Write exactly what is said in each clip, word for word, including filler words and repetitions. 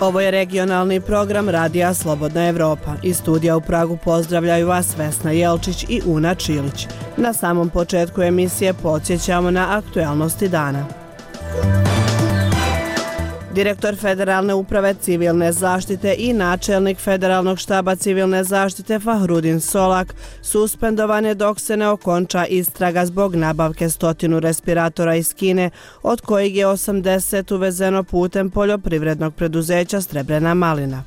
Ovo je regionalni program Radija Slobodna Evropa. Iz studija u Pragu pozdravljaju vas Vesna Jelčić i Una Čilić. Na samom početku emisije podsjećamo na aktuelnosti dana. Direktor Federalne uprave civilne zaštite i načelnik Federalnog štaba civilne zaštite Fahrudin Solak suspendovan je dok se ne okonča istraga zbog nabavke stotinu respiratora iz Kine, od kojih je osamdeset uvezeno putem poljoprivrednog preduzeća Srebrena malina.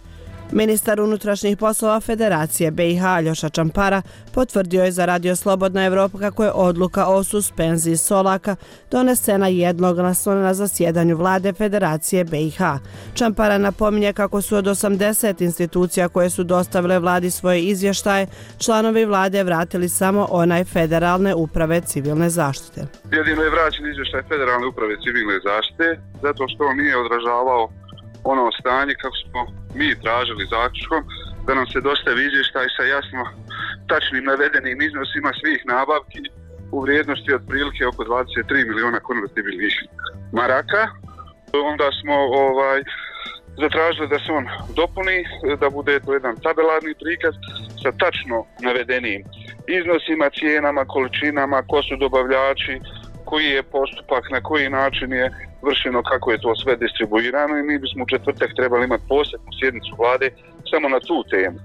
Ministar unutrašnjih poslova Federacije B i H Aljoša Čampara potvrdio je za Radio Slobodna Evropa kako je odluka o suspenziji Solaka donesena jednoglasno na zasjedanju vlade Federacije B i H. Čampara napominje kako su od osamdeset institucija koje su dostavile vladi svoje izvještaje, članovi vlade vratili samo onaj Federalne uprave civilne zaštite. Jedino je vraćen izvještaj Federalne uprave civilne zaštite zato što on nije odražavao ono stanje kako smo mi tražili zaključkom da nam se dostavi izvještaj sa jasno tačnim navedenim iznosima svih nabavki u vrijednosti od prilike oko dvadeset tri miliona konvertibilnih maraka. Onda smo ovaj zatražili da se on dopuni, da bude to jedan tabelarni prikaz sa tačno navedenim iznosima, cijenama, količinama, ko su dobavljači, koji je postupak, na koji način je vršeno, kako je to sve distribuirano i mi bismo u četvrtak trebali imati posebnu sjednicu vlade samo na tu temu.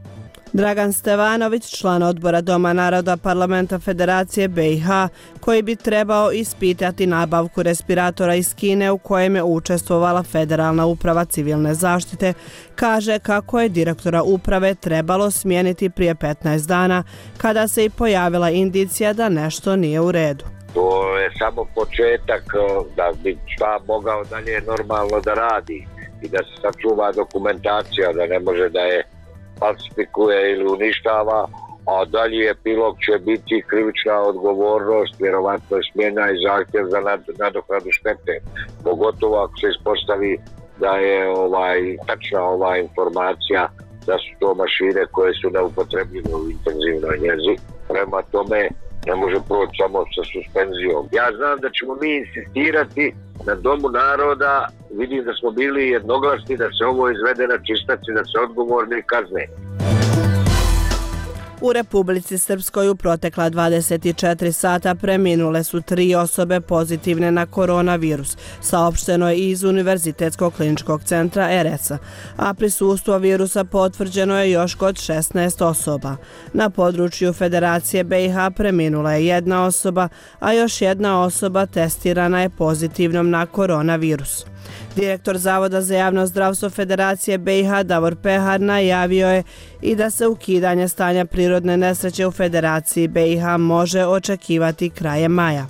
Dragan Stevanović, član odbora Doma naroda Parlamenta Federacije B i H, koji bi trebao ispitati nabavku respiratora iz Kine u kojem je učestvovala Federalna uprava civilne zaštite, kaže kako je direktora uprave trebalo smijeniti prije petnaest dana kada se i pojavila indicija da nešto nije u redu. To je samo početak da bi šta mogao dalje normalno da radi i da se sačuva dokumentacija, da ne može da je falsifikuje ili uništava, a dalje epilog će biti krivična odgovornost, vjerovatno je smjena i zahtjev za nadoknadu štete. Pogotovo ako se ispostavi da je ovaj tačna ova informacija da su to mašine koje su neupotrebljive u intenzivnoj njezi. Prema tome ne može proći samo sa suspenzijom. Ja znam da ćemo mi insistirati na Domu naroda, vidim da smo bili jednoglasni da se ovo izvede na čistac i da se odgovorni kazne. U Republici Srpskoj u protekla dvadeset četiri sata preminule su tri osobe pozitivne na koronavirus, saopšteno je iz Univerzitetskog kliničkog centra R S a, a prisustvo virusa potvrđeno je još kod šesnaest osoba. Na području Federacije B i H preminula je jedna osoba, a još jedna osoba testirana je pozitivnom na koronavirus. Direktor Zavoda za javno zdravstvo Federacije B i H Davor Pehar najavio je i da se ukidanje stanja prirodne nesreće u Federaciji B i H može očekivati krajem maja.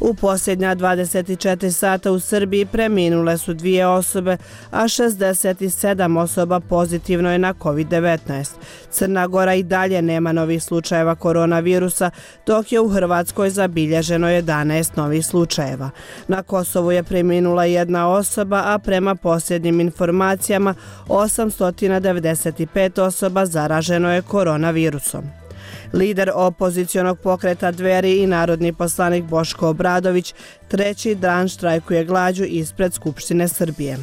U posljednja dvadeset četiri sata u Srbiji preminule su dvije osobe, a šezdeset sedam osoba pozitivno je na kovid devetnaest. Crna Gora i dalje nema novih slučajeva koronavirusa, dok je u Hrvatskoj zabilježeno jedanaest novih slučajeva. Na Kosovu je preminula jedna osoba, a prema posljednjim informacijama osamsto devedeset pet osoba zaraženo je koronavirusom. Lider opozicionog pokreta Dveri i narodni poslanik Boško Obradović treći dan štrajkuje glađu ispred Skupštine Srbije.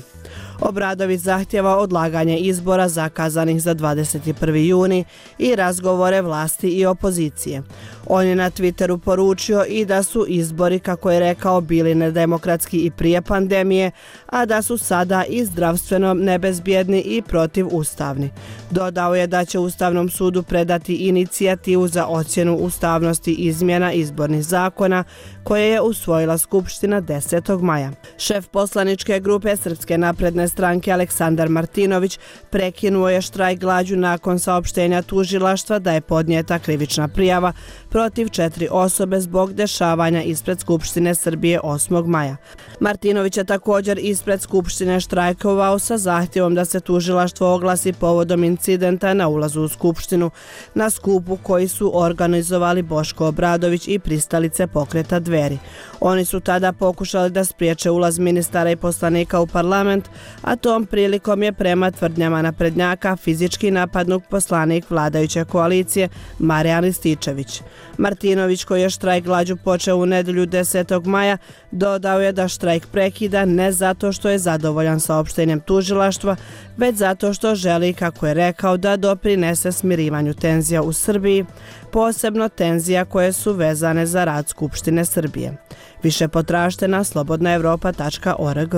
Obradović zahtjeva odlaganje izbora zakazanih za dvadeset prvi juni i razgovore vlasti i opozicije. On je na Twitteru poručio i da su izbori, kako je rekao, bili nedemokratski i prije pandemije, a da su sada i zdravstveno nebezbjedni i protivustavni. Dodao je da će Ustavnom sudu predati inicijativu za ocjenu ustavnosti izmjena izbornih zakona koje je usvojila Skupština desetog maja. Šef poslaničke grupe Srpske napredne stranke Aleksandar Martinović prekinuo je štrajk glađu nakon saopštenja tužilaštva da je podnijeta krivična prijava protiv četiri osobe zbog dešavanja ispred Skupštine Srbije osmog maja. Martinović je također ispred Skupštine štrajkovao sa zahtjevom da se tužilaštvo oglasi povodom incidenta na ulazu u Skupštinu na skupu koji su organizovali Boško Obradović i pristalice pokreta Dveri. Oni su tada pokušali da spriječe ulaz ministara i poslanika u parlament, a tom prilikom je prema tvrdnjama naprednjaka fizički napadnut poslanik vladajuće koalicije Marijan Rističević. Martinović, koji je štrajk glađu počeo u nedelju desetog maja, dodao je da štrajk prekida ne zato što je zadovoljan saopštenjem tužilaštva, već zato što želi, kako je rekao, da doprinese smirivanju tenzija u Srbiji, posebno tenzija koje su vezane za rad Skupštine Srbije. Više potražite na slobodna evropa tačka org.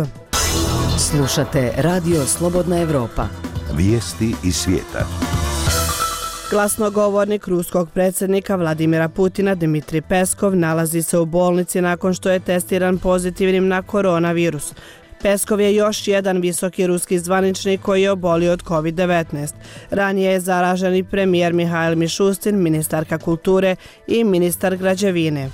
Slušate Radio Slobodna Evropa. Vijesti iz svijeta. Glasnogovornik ruskog predsjednika Vladimira Putina Dmitrij Peskov nalazi se u bolnici nakon što je testiran pozitivnim na koronavirus. Peskov je još jedan visoki ruski zvaničnik koji je obolio od kovid devetnaest. Ranije je zaražen i premijer Mihail Mišustin, ministarka kulture i ministar građevine.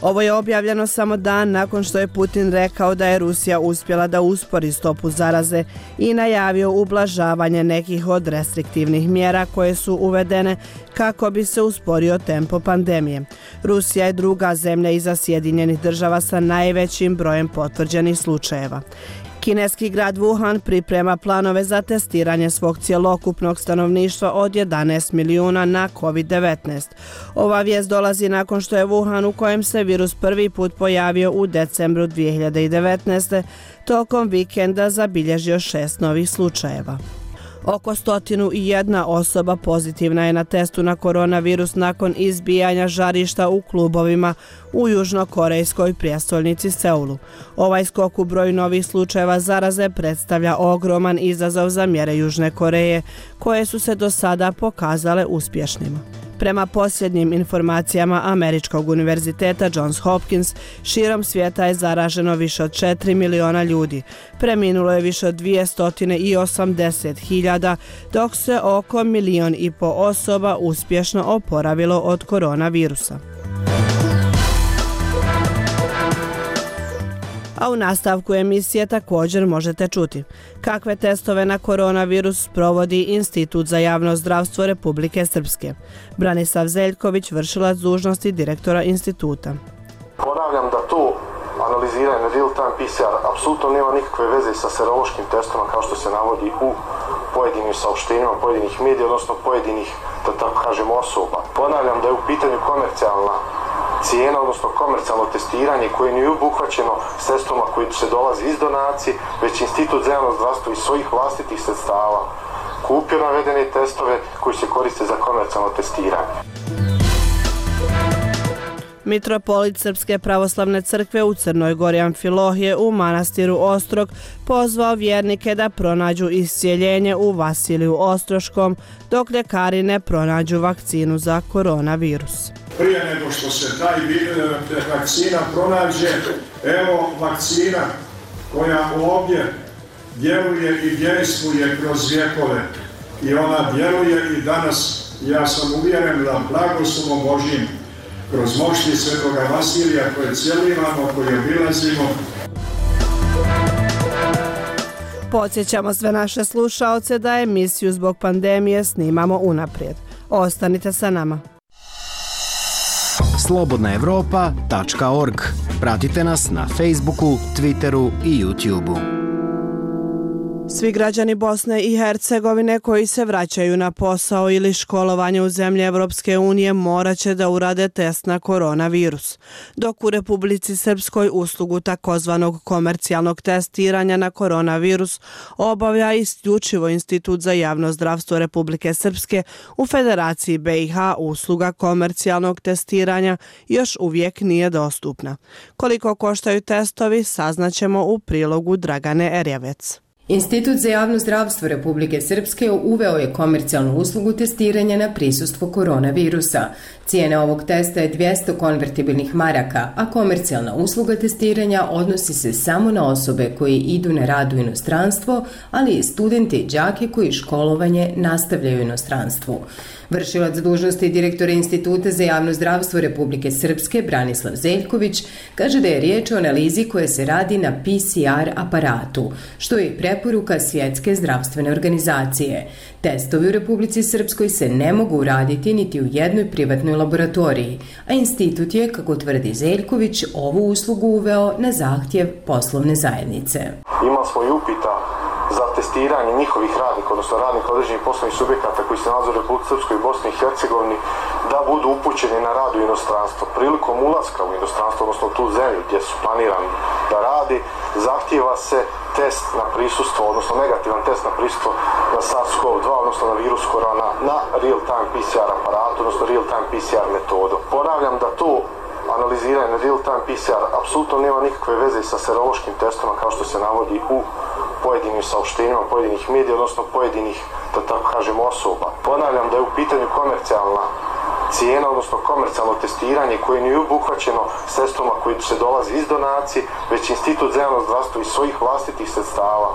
Ovo je objavljeno samo dan nakon što je Putin rekao da je Rusija uspjela da uspori stopu zaraze i najavio ublažavanje nekih od restriktivnih mjera koje su uvedene kako bi se usporio tempo pandemije. Rusija je druga zemlja iza Sjedinjenih država sa najvećim brojem potvrđenih slučajeva. Kineski grad Wuhan priprema planove za testiranje svog cjelokupnog stanovništva od jedanaest milijuna na kovid devetnaest. Ova vijest dolazi nakon što je Wuhan, u kojem se virus prvi put pojavio u decembru dvije hiljade devetnaeste. tokom vikenda zabilježio šest novih slučajeva. Oko stotinu i jedna osoba pozitivna je na testu na koronavirus nakon izbijanja žarišta u klubovima u južnokorejskoj prijestolnici Seulu. Ovaj skok u broju novih slučajeva zaraze predstavlja ogroman izazov za mjere Južne Koreje, koje su se do sada pokazale uspješnima. Prema posljednjim informacijama Američkog univerziteta Johns Hopkins, širom svijeta je zaraženo više od četiri miliona ljudi. Preminulo je više od dvjesto osamdeset hiljada, dok se oko milion i po osoba uspješno oporavilo od koronavirusa. A u nastavku emisije također možete čuti kakve testove na koronavirus provodi Institut za javno zdravstvo Republike Srpske. Branislav Zeljković, vršilac dužnosti direktora instituta. Ponavljam da to analiziranje real-time P C R apsolutno nema nikakve veze sa serološkim testovima kao što se navodi u pojedinim saopštenjima pojedinih medija, odnosno pojedinih, da tako kažem, osoba. Ponavljam da je u pitanju komercijalna cijena, odnosno komercijalno testiranje koje nije obuhvaćeno sredstvima koji se dolazi iz donacije, već Institut za javno zdravstvo iz svojih vlastitih sredstava kupio navedene testove koji se koriste za komercijalno testiranje. Mitropolit Srpske pravoslavne crkve u Crnoj Gori Amfilohije u manastiru Ostrog pozvao vjernike da pronađu iscijeljenje u Vasiliju Ostroškom dok ljekari ne pronađu vakcinu za koronavirus. Prije nego što se taj vakcina pronađe, evo vakcina koja ovdje djeluje i djeluje kroz vjekove i ona djeluje i danas. Ja sam uvjeren da blagoslovom Božjim kroz mošti Svetoga Vasilija koje cijelivamo, koje obilazimo. Podsjećamo sve naše slušaoce da emisiju zbog pandemije snimamo unaprijed. Ostanite sa nama. slobodna evropa tačka org. Pratite nas na Facebooku, Twitteru i YouTubeu. Svi građani Bosne i Hercegovine koji se vraćaju na posao ili školovanje u zemlje Evropske unije morat će da urade test na koronavirus. Dok u Republici Srpskoj uslugu takozvanog komercijalnog testiranja na koronavirus obavlja isključivo Institut za javno zdravstvo Republike Srpske, u Federaciji B i H usluga komercijalnog testiranja još uvijek nije dostupna. Koliko koštaju testovi saznaćemo u prilogu Dragane Erjavec. Institut za javno zdravstvo Republike Srpske uveo je komercijalnu uslugu testiranja na prisustvo koronavirusa. Cijena ovog testa je dvjesto konvertibilnih maraka, a komercijalna usluga testiranja odnosi se samo na osobe koji idu na rad u inostranstvo, ali i studente i đake koji školovanje nastavljaju u inostranstvu. Vršilac dužnosti direktora Instituta za javno zdravstvo Republike Srpske Branislav Zeljković kaže da je riječ o analizi koja se radi na P C R aparatu, što je preporuka Svjetske zdravstvene organizacije. Testovi u Republici Srpskoj se ne mogu uraditi niti u jednoj privatnoj laboratoriji, a institut je, kako tvrdi Zeljković, ovu uslugu uveo na zahtjev poslovne zajednice. Imali smo i upita za testiranje njihovih radnika, odnosno radnika određenih poslovnih subjekata koji se nalaze u Republici Srpskoj i Bosni i Hercegovini, da budu upućeni na rad u inostranstvo. Prilikom ulaska u inostranstvo, odnosno u tu zemlju gdje su planirani da radi, zahtijeva se test na prisustvo, odnosno negativan test na prisustvo na SARS-CoV dva, odnosno na virus korona, na real-time P C R aparatu, odnosno real-time P C R metodu. Ponavljam da to analiziranje na real-time P C R apsolutno nema nikakve veze sa serološkim testima kao što se navodi u pojedinim saopštenjima, pojedinih medija, odnosno pojedinih, da tako kažem, osoba. Ponavljam da je u pitanju komercijalna cijena, odnosno komercijalno testiranje koje nije obuhvaćeno sredstvima koji se dolazi iz donacije, već Institut za javno zdravstvo iz svojih vlastitih sredstava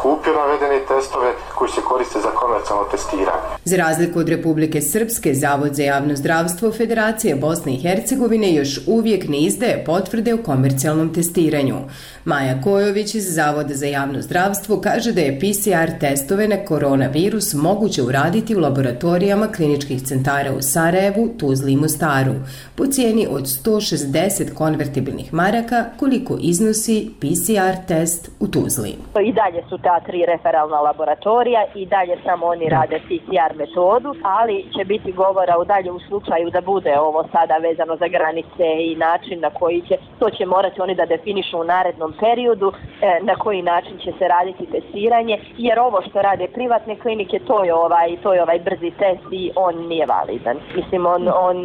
kupio navedene testove koji se koriste za komercijalno testiranje. Za razliku od Republike Srpske, Zavod za javno zdravstvo Federacije Bosne i Hercegovine još uvijek ne izdaje potvrde o komercijalnom testiranju. Maja Kojović iz Zavoda za javno zdravstvo kaže da je P C R testove na koronavirus moguće uraditi u laboratorijama kliničkih centara u Sarajevu, Tuzli i Mostaru po cijeni od sto šezdeset konvertibilnih maraka koliko iznosi P C R test u Tuzli. I dalje su ta tri referalna laboratorija i dalje samo oni rade P C R metodu, ali će biti govora u dalje u slučaju da bude ovo sada vezano za granice i način na koji će, to će morati oni da definišu u narednom periodu, na koji način će se raditi testiranje, jer ovo što rade privatne klinike, to je ovaj, to je ovaj brzi test i on nije validan. Mislim, on, on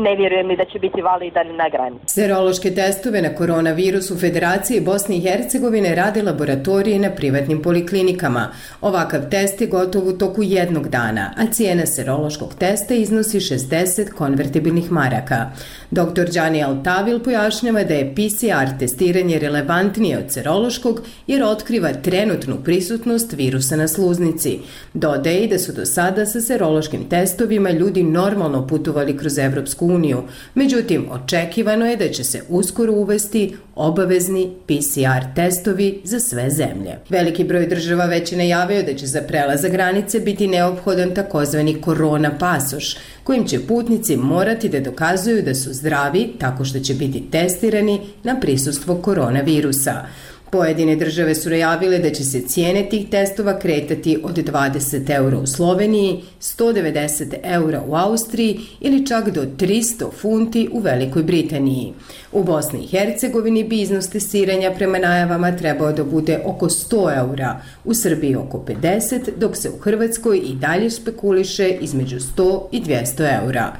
ne vjerujem ni da će biti validan na granici. Serološke testove na koronavirus u Federaciji Bosne i Hercegovine rade laboratorije na privatnim poliklinikama. Ovakav test je gotov u toku jednog dana, a cijena serološkog testa iznosi šezdeset konvertibilnih maraka. doktor Đani Altavil pojašnjava da je P C R testiranje relevantnije od serološkog jer otkriva trenutnu prisutnost virusa na sluznici. Dodaje i da su do sada sa serološkim testovima ljudi normalno putovali kroz Evropsku uniju. Međutim, očekivano je da će se uskoro uvesti obavezni P C R testovi za sve zemlje. Veliki broj država već je najavio da će za prelazak granice biti neophodan takozvani korona pasoš, kojim će putnici morati da dokazuju da su zdravi tako što će biti testirani na prisustvo koronavirusa. Pojedine države su najavile da će se cijene tih testova kretati od dvadeset eura u Sloveniji, sto devedeset eura u Austriji ili čak do tristo funti u Velikoj Britaniji. U Bosni i Hercegovini bi iznos testiranja prema najavama trebao da bude oko sto eura, u Srbiji oko pedeset, dok se u Hrvatskoj i dalje špekuliše između sto i dvjesto eura.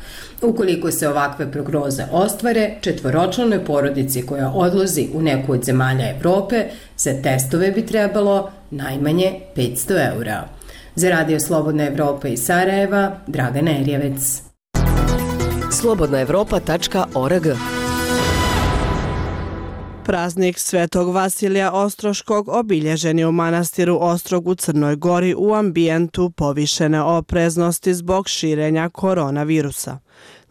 Ukoliko se ovakve prognoze ostvare, četvoročlanoj porodici koja odlazi u neku od zemalja Evrope, za testove bi trebalo najmanje petsto eura. Za Radio Slobodna Evropa iz Sarajeva, Dragana Erjevec. slobodna evropa tačka org. Praznik Svetog Vasilija Ostroškog obilježen je u manastiru Ostrog u Crnoj Gori u ambijentu povišene opreznosti zbog širenja koronavirusa.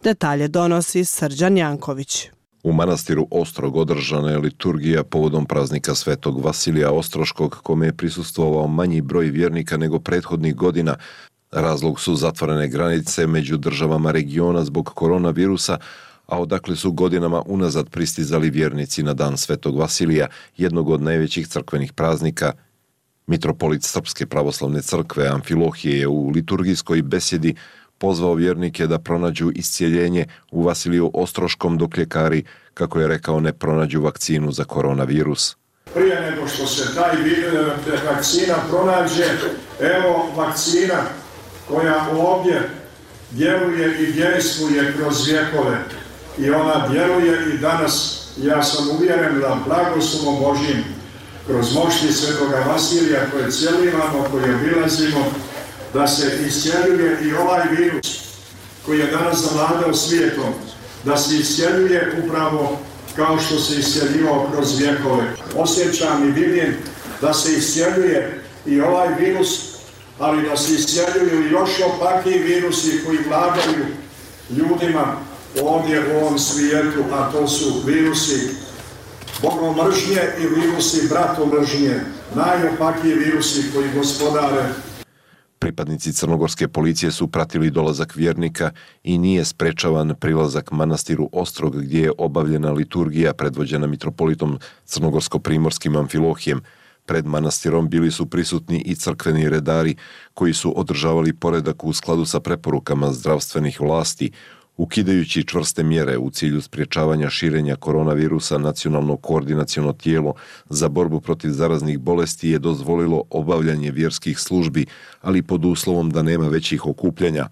Detalje donosi Srđan Janković. U manastiru Ostrog održana je liturgija povodom praznika Svetog Vasilija Ostroškog, kome je prisustvovao manji broj vjernika nego prethodnih godina. Razlog su zatvorene granice među državama regiona zbog koronavirusa, a odakle su godinama unazad pristizali vjernici na dan Svetog Vasilija, jednog od najvećih crkvenih praznika. Mitropolit Srpske pravoslavne crkve Amfilohije je u liturgijskoj besjedi pozvao vjernike da pronađu iscijeljenje u Vasiliju Ostroškom dok ljekari, kako je rekao, ne pronađu vakcinu za koronavirus. Prije nego što se taj vakcina pronađe, evo vakcina koja ovdje djeluje i djeluje kroz vjekove. I ona djeluje i danas. Ja sam uvjeren da blagoslovom Božjim kroz mošti Svetoga Vasilija koje cijelimo, koje obilazimo, da se iscijeljuje i ovaj virus koji je danas zavladao svijetom, da se iscijeljuje upravo kao što se iscijeljivao kroz vjekove. Osjećam i vidim da se iscijeljuje i ovaj virus, ali da se iscijeljuju još opakiji virusi koji vladaju ljudima ovdje u ovom svijetu, a to su virusi bogomržnje i virusi bratomržnje, najopakiji virusi koji gospodare. Pripadnici crnogorske policije su pratili dolazak vjernika i nije sprečavan prilazak manastiru Ostrog gdje je obavljena liturgija predvođena mitropolitom crnogorsko-primorskim Amfilohijem. Pred manastirom bili su prisutni i crkveni redari koji su održavali poredak u skladu sa preporukama zdravstvenih vlasti, ukidajući čvrste mjere u cilju sprječavanja širenja koronavirusa. Nacionalno koordinaciono tijelo za borbu protiv zaraznih bolesti je dozvolilo obavljanje vjerskih službi, ali pod uslovom da nema većih okupljanja,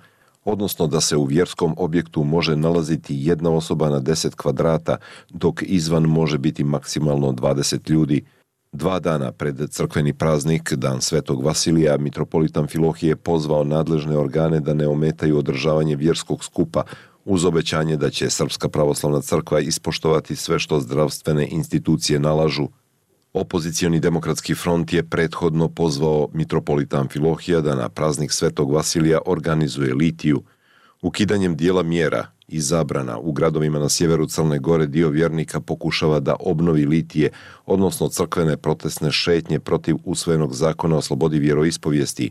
odnosno da se u vjerskom objektu može nalaziti jedna osoba na deset kvadrata, dok izvan može biti maksimalno dvadeset ljudi. Dva dana pred crkveni praznik, Dan Svetog Vasilija, mitropolita Amfilohije je pozvao nadležne organe da ne ometaju održavanje vjerskog skupa, uz obećanje da će Srpska pravoslavna crkva ispoštovati sve što zdravstvene institucije nalažu. Opozicioni demokratski front je prethodno pozvao mitropolita Amfilohija da na praznik Svetog Vasilija organizuje litiju. Ukidanjem dijela mjera i zabrana u gradovima na sjeveru Crne Gore dio vjernika pokušava da obnovi litije, odnosno crkvene protestne šetnje protiv usvojenog zakona o slobodi vjeroispovijesti.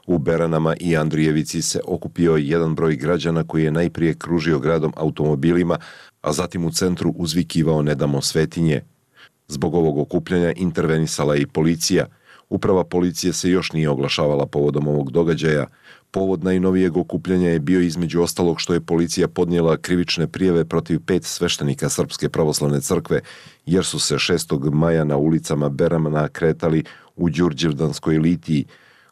U Beranama i Andrijevici se okupio jedan broj građana koji je najprije kružio gradom automobilima, a zatim u centru uzvikivao "Ne damo svetinje". Zbog ovog okupljanja intervenisala je i policija. Uprava policije se još nije oglašavala povodom ovog događaja. Povod najnovijeg okupljanja je bio između ostalog što je policija podnijela krivične prijave protiv pet sveštenika Srpske pravoslavne crkve, jer su se šestog maja na ulicama Berana kretali u Đurđevdanskoj litiji,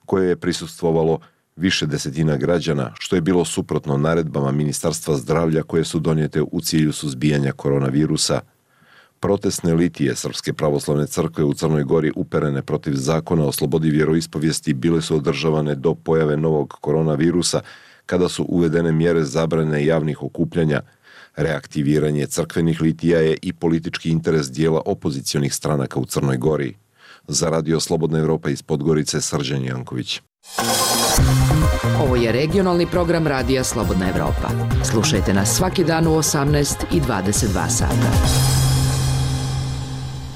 koje je prisustvovalo više desetina građana, što je bilo suprotno naredbama Ministarstva zdravlja koje su donijete u cilju suzbijanja koronavirusa. Protestne litije Srpske pravoslavne crkve u Crnoj Gori uperene protiv zakona o slobodi vjeroispovijesti bile su održavane do pojave novog koronavirusa, kada su uvedene mjere zabrane javnih okupljanja. Reaktiviranje crkvenih litija je i politički interes dijela opozicionih stranaka u Crnoj Gori. Za Radio Slobodna Evropa iz Podgorice, Srđan Janković. Ovo je regionalni program Radija Slobodna Evropa. Slušajte nas svaki dan u osamnaest i dvadeset dva sata.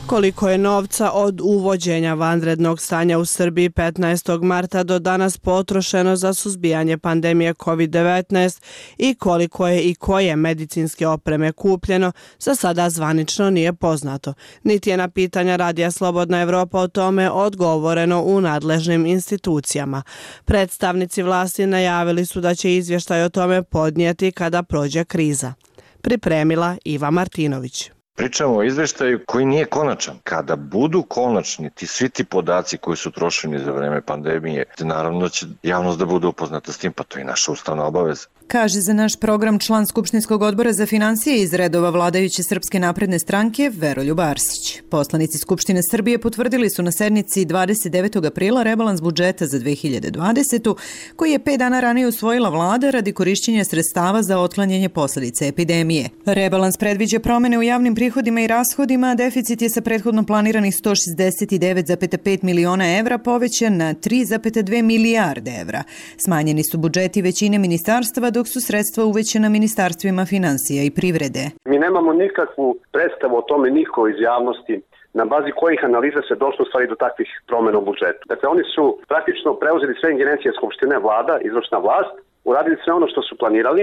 Koliko je novca od uvođenja vanrednog stanja u Srbiji petnaestog marta do danas potrošeno za suzbijanje pandemije kovid devetnaest i koliko je i koje medicinske opreme kupljeno, za sada zvanično nije poznato. Niti je na pitanja Radija Slobodna Evropa o tome odgovoreno u nadležnim institucijama. Predstavnici vlasti najavili su da će izvještaj o tome podnijeti kada prođe kriza. Pripremila Iva Martinović. Pričamo o izveštaju koji nije konačan. Kada budu konačni ti svi ti podaci koji su trošeni za vreme pandemije, naravno će javnost da bude upoznata s tim, pa to je naša ustavna obaveza. Kaže za naš program član Skupštinskog odbora za financije iz redova vladajuće Srpske napredne stranke Veroljub Arsić. Poslanici Skupštine Srbije potvrdili su na sednici dvadeset devetog aprila rebalans budžeta za dve hiljade dvadesetu. koji je pet dana ranije usvojila vlada radi korišćenja sredstava za otklanjanje posljedica epidemije. Rebalans predviđa promjene u javnim prihodima i rashodima, a deficit je sa prethodno planiranih sto šezdeset devet zarez pet miliona evra povećan na tri zarez dve milijarde evra. Smanjeni su budžeti većine ministarstava, dok su sredstva uvećena ministarstvima financija i privrede. Mi nemamo nikakvu predstavu o tome, niko iz javnosti, na bazi kojih analiza se došlo stvari do takvih promjena u budžetu. Dakle, oni su praktično preuzeli sve ingerencije Skupštine, vlada, izvršna vlast, uradili sve ono što su planirali,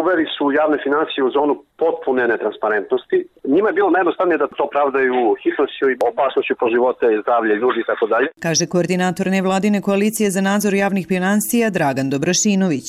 uveli su javne financije u zonu potpune netransparentnosti. Njima je bilo najjednostavnije da to pravdaju hitnošću i opasnošću po živote i zdravlje ljudi i tako dalje. Kaže koordinator nevladine koalicije za nadzor javnih financija Dragan Dobrašinović.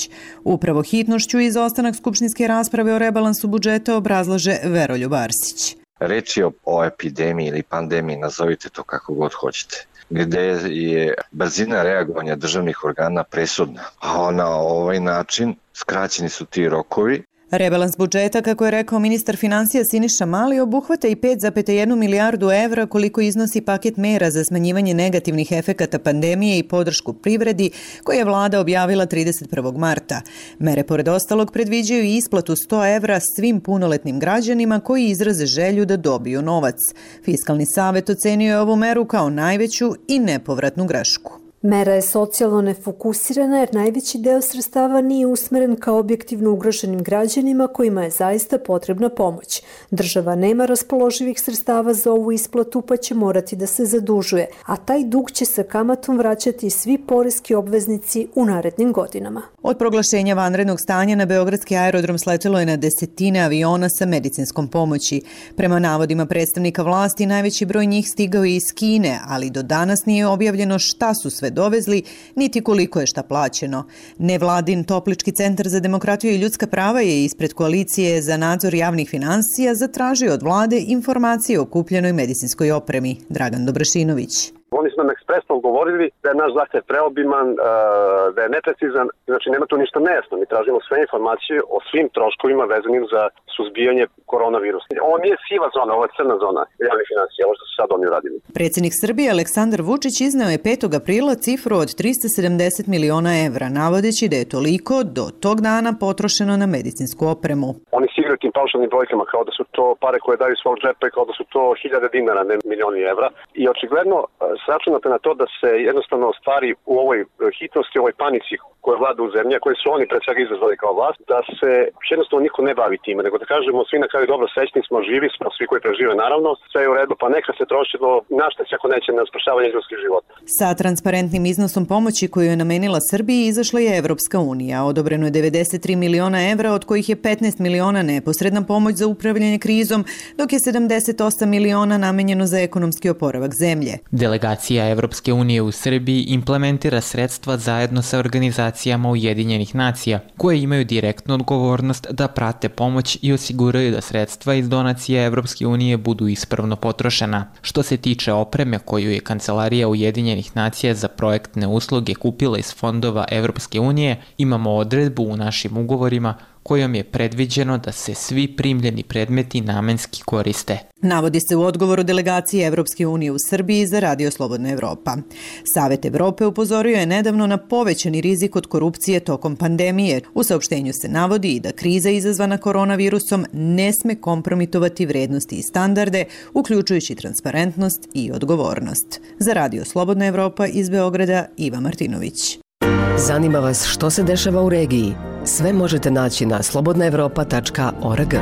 Upravo hitnošću i izostanak skupštinske rasprave o rebalansu budžeta obrazlaže Veroljub Arsić. Reč je o epidemiji ili pandemiji, nazovite to kako god hoćete, gde je brzina reagovanja državnih organa presudna. A na ovaj način skraćeni su ti rokovi. Rebalans budžeta, kako je rekao ministar financija Siniša Mali, obuhvata i pet zarez jedan milijardu evra koliko iznosi paket mera za smanjivanje negativnih efekata pandemije i podršku privredi koje je vlada objavila trideset prvog marta. Mere pored ostalog predviđaju i isplatu sto evra svim punoletnim građanima koji izraze želju da dobiju novac. Fiskalni savet ocenio je ovu meru kao najveću i nepovratnu grešku. Mera je socijalno nefokusirana jer najveći deo sredstava nije usmeren ka objektivno ugroženim građanima kojima je zaista potrebna pomoć. Država nema raspoloživih sredstava za ovu isplatu pa će morati da se zadužuje, a taj dug će sa kamatom vraćati svi poreski obveznici u narednim godinama. Od proglašenja vanrednog stanja na beogradski aerodrom sletelo je na desetine aviona sa medicinskom pomoći. Prema navodima predstavnika vlasti, najveći broj njih stigao je iz Kine, ali do danas nije objavljeno šta su sve dovezli, niti koliko je šta plaćeno. Nevladin Toplički centar za demokratiju i ljudska prava je ispred koalicije za nadzor javnih finansija zatražio od vlade informacije o kupljenoj medicinskoj opremi. Dragan Dobrašinović. Oni su nam ekspresno govorili da je naš zahtev preobiman, da je neprecizan, znači nema tu ništa nejasno. Mi tražimo sve informacije o svim troškovima vezanim za suzbijanje koronavirusa. Ovo nije siva zona, ovo je crna zona javnih finansija, ovo što su sad oni uradili. Predsjednik Srbije Aleksandar Vučić izneo je petog aprila cifru od trista sedamdeset miliona evra, navodeći da je toliko do tog dana potrošeno na medicinsku opremu. Oni se igraju tim paušalnim brojkama kao da su to pare koje daju svog džepa i kao da su to hiljade dinara, ne milioni evra. I očigledno sračunate na to da se jednostavno stvari u ovoj hitnosti, u ovoj panici koja vlada u zemlji, koje su oni pred svega izazvali kao vlast, da se jednostavno niko ne bavi time, nego da kažemo svi na kraju dobro, srećni smo, živi smo, svi koji prežive naravno, sve je u redu, pa neka se trošilo našta se ako neće na spašavanje ljudskih života. Sa transparentnim iznosom pomoći koju je namenila Srbiji izašla je Evropska unija. Odobreno je devedeset tri miliona evra, od kojih je petnaest miliona neposredna pomoć za upravljanje krizom, dok je sedamdeset osam miliona namenjeno za ekonomski oporavak zemlje. Delegacija Evropske unije u Srbiji implementira sredstva zajedno sa organizacijama Ujedinjenih nacija, koje imaju direktnu odgovornost da prate pomoć i osiguraju da sredstva iz donacije Evropske unije budu ispravno potrošena. Što se tiče opreme koju je Kancelarija Ujedinjenih nacija za projektne usluge kupila iz fondova Evropske unije, imamo odredbu u našim ugovorima kojom je predviđeno da se svi primljeni predmeti namenski koriste. Navodi se u odgovoru delegacije Evropske unije u Srbiji za Radio Slobodna Evropa. Savet Evrope upozorio je nedavno na povećani rizik od korupcije tokom pandemije. U saopštenju se navodi i da kriza izazvana koronavirusom ne sme kompromitovati vrednosti i standarde, uključujući transparentnost i odgovornost. Za Radio Slobodna Evropa iz Beograda, Iva Martinović. Zanima vas što se dešava u regiji? Sve možete naći na slobodna evropa tačka org.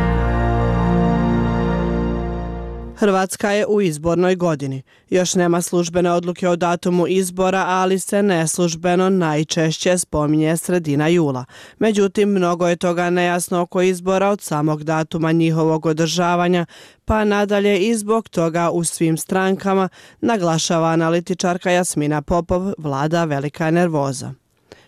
Hrvatska je u izbornoj godini. Još nema službene odluke o datumu izbora, ali se neslužbeno najčešće spominje sredina jula. Međutim, mnogo je toga nejasno oko izbora od samog datuma njihovog održavanja, pa nadalje i zbog toga u svim strankama, naglašava analitičarka Jasmina Popov, vlada velika nervoza.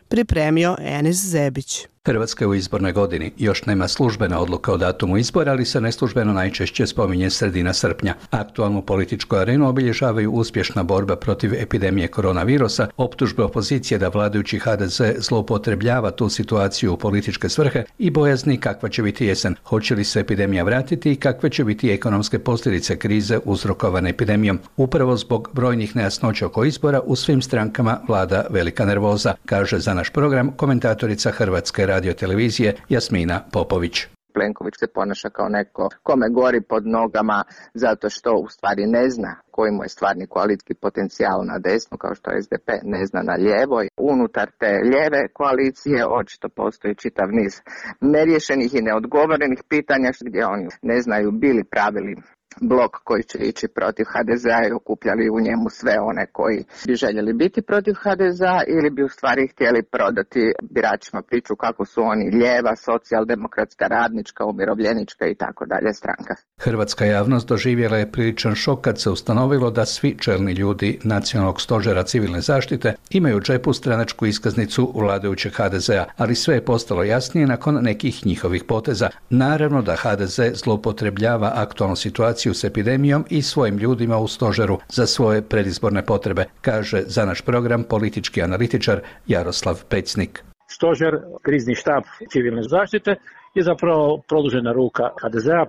Pripremio Enis Zebić. Hrvatska je u izbornoj godini. Još nema službena odluka o datumu izbora, ali se neslužbeno najčešće spominje sredina srpnja. Aktualnu političku arenu obilježavaju uspješna borba protiv epidemije koronavirusa, optužbe opozicije da vladajući ha de ze zloupotrebljava tu situaciju u političke svrhe i bojazni kakva će biti jesen. Hoće li se epidemija vratiti i kakve će biti ekonomske posljedice krize uzrokovane epidemijom. Upravo zbog brojnih nejasnoća oko izbora u svim strankama vlada velika nervoza, kaže za naš program komentatorica Hrvatske radio televizije Jasmina Popović. Plenković se ponaša kao neko kome gori pod nogama zato što u stvari ne zna koji mu je stvarni koalicijski potencijal na desnu, kao što es de pe ne zna na lijevo. Unutar te lijeve koalicije očito postoji čitav niz neriješenih i neodgovorenih pitanja gdje oni ne znaju bili pravili blok koji će ići protiv ha de zea i okupljali u njemu sve one koji bi željeli biti protiv ha de zea ili bi u stvari htjeli prodati biračima priču kako su oni lijeva, socijaldemokratska, radnička, umirovljenička i tako dalje stranka. Hrvatska javnost doživjela je priličan šok kad se ustanovilo da svi čelni ljudi Nacionalnog stožera civilne zaštite imaju u džepu stranačku iskaznicu vladajućeg ha de zea, ali sve je postalo jasnije nakon nekih njihovih poteza. Naravno da ha de ze zloupotrebljava aktualnu situaciju s epidemijom i svojim ljudima u stožeru za svoje predizborne potrebe, kaže za naš program politički analitičar Jaroslav Pecnik. Stožer, krizni štab civilne zaštite je zapravo produžena ruka ha de zea,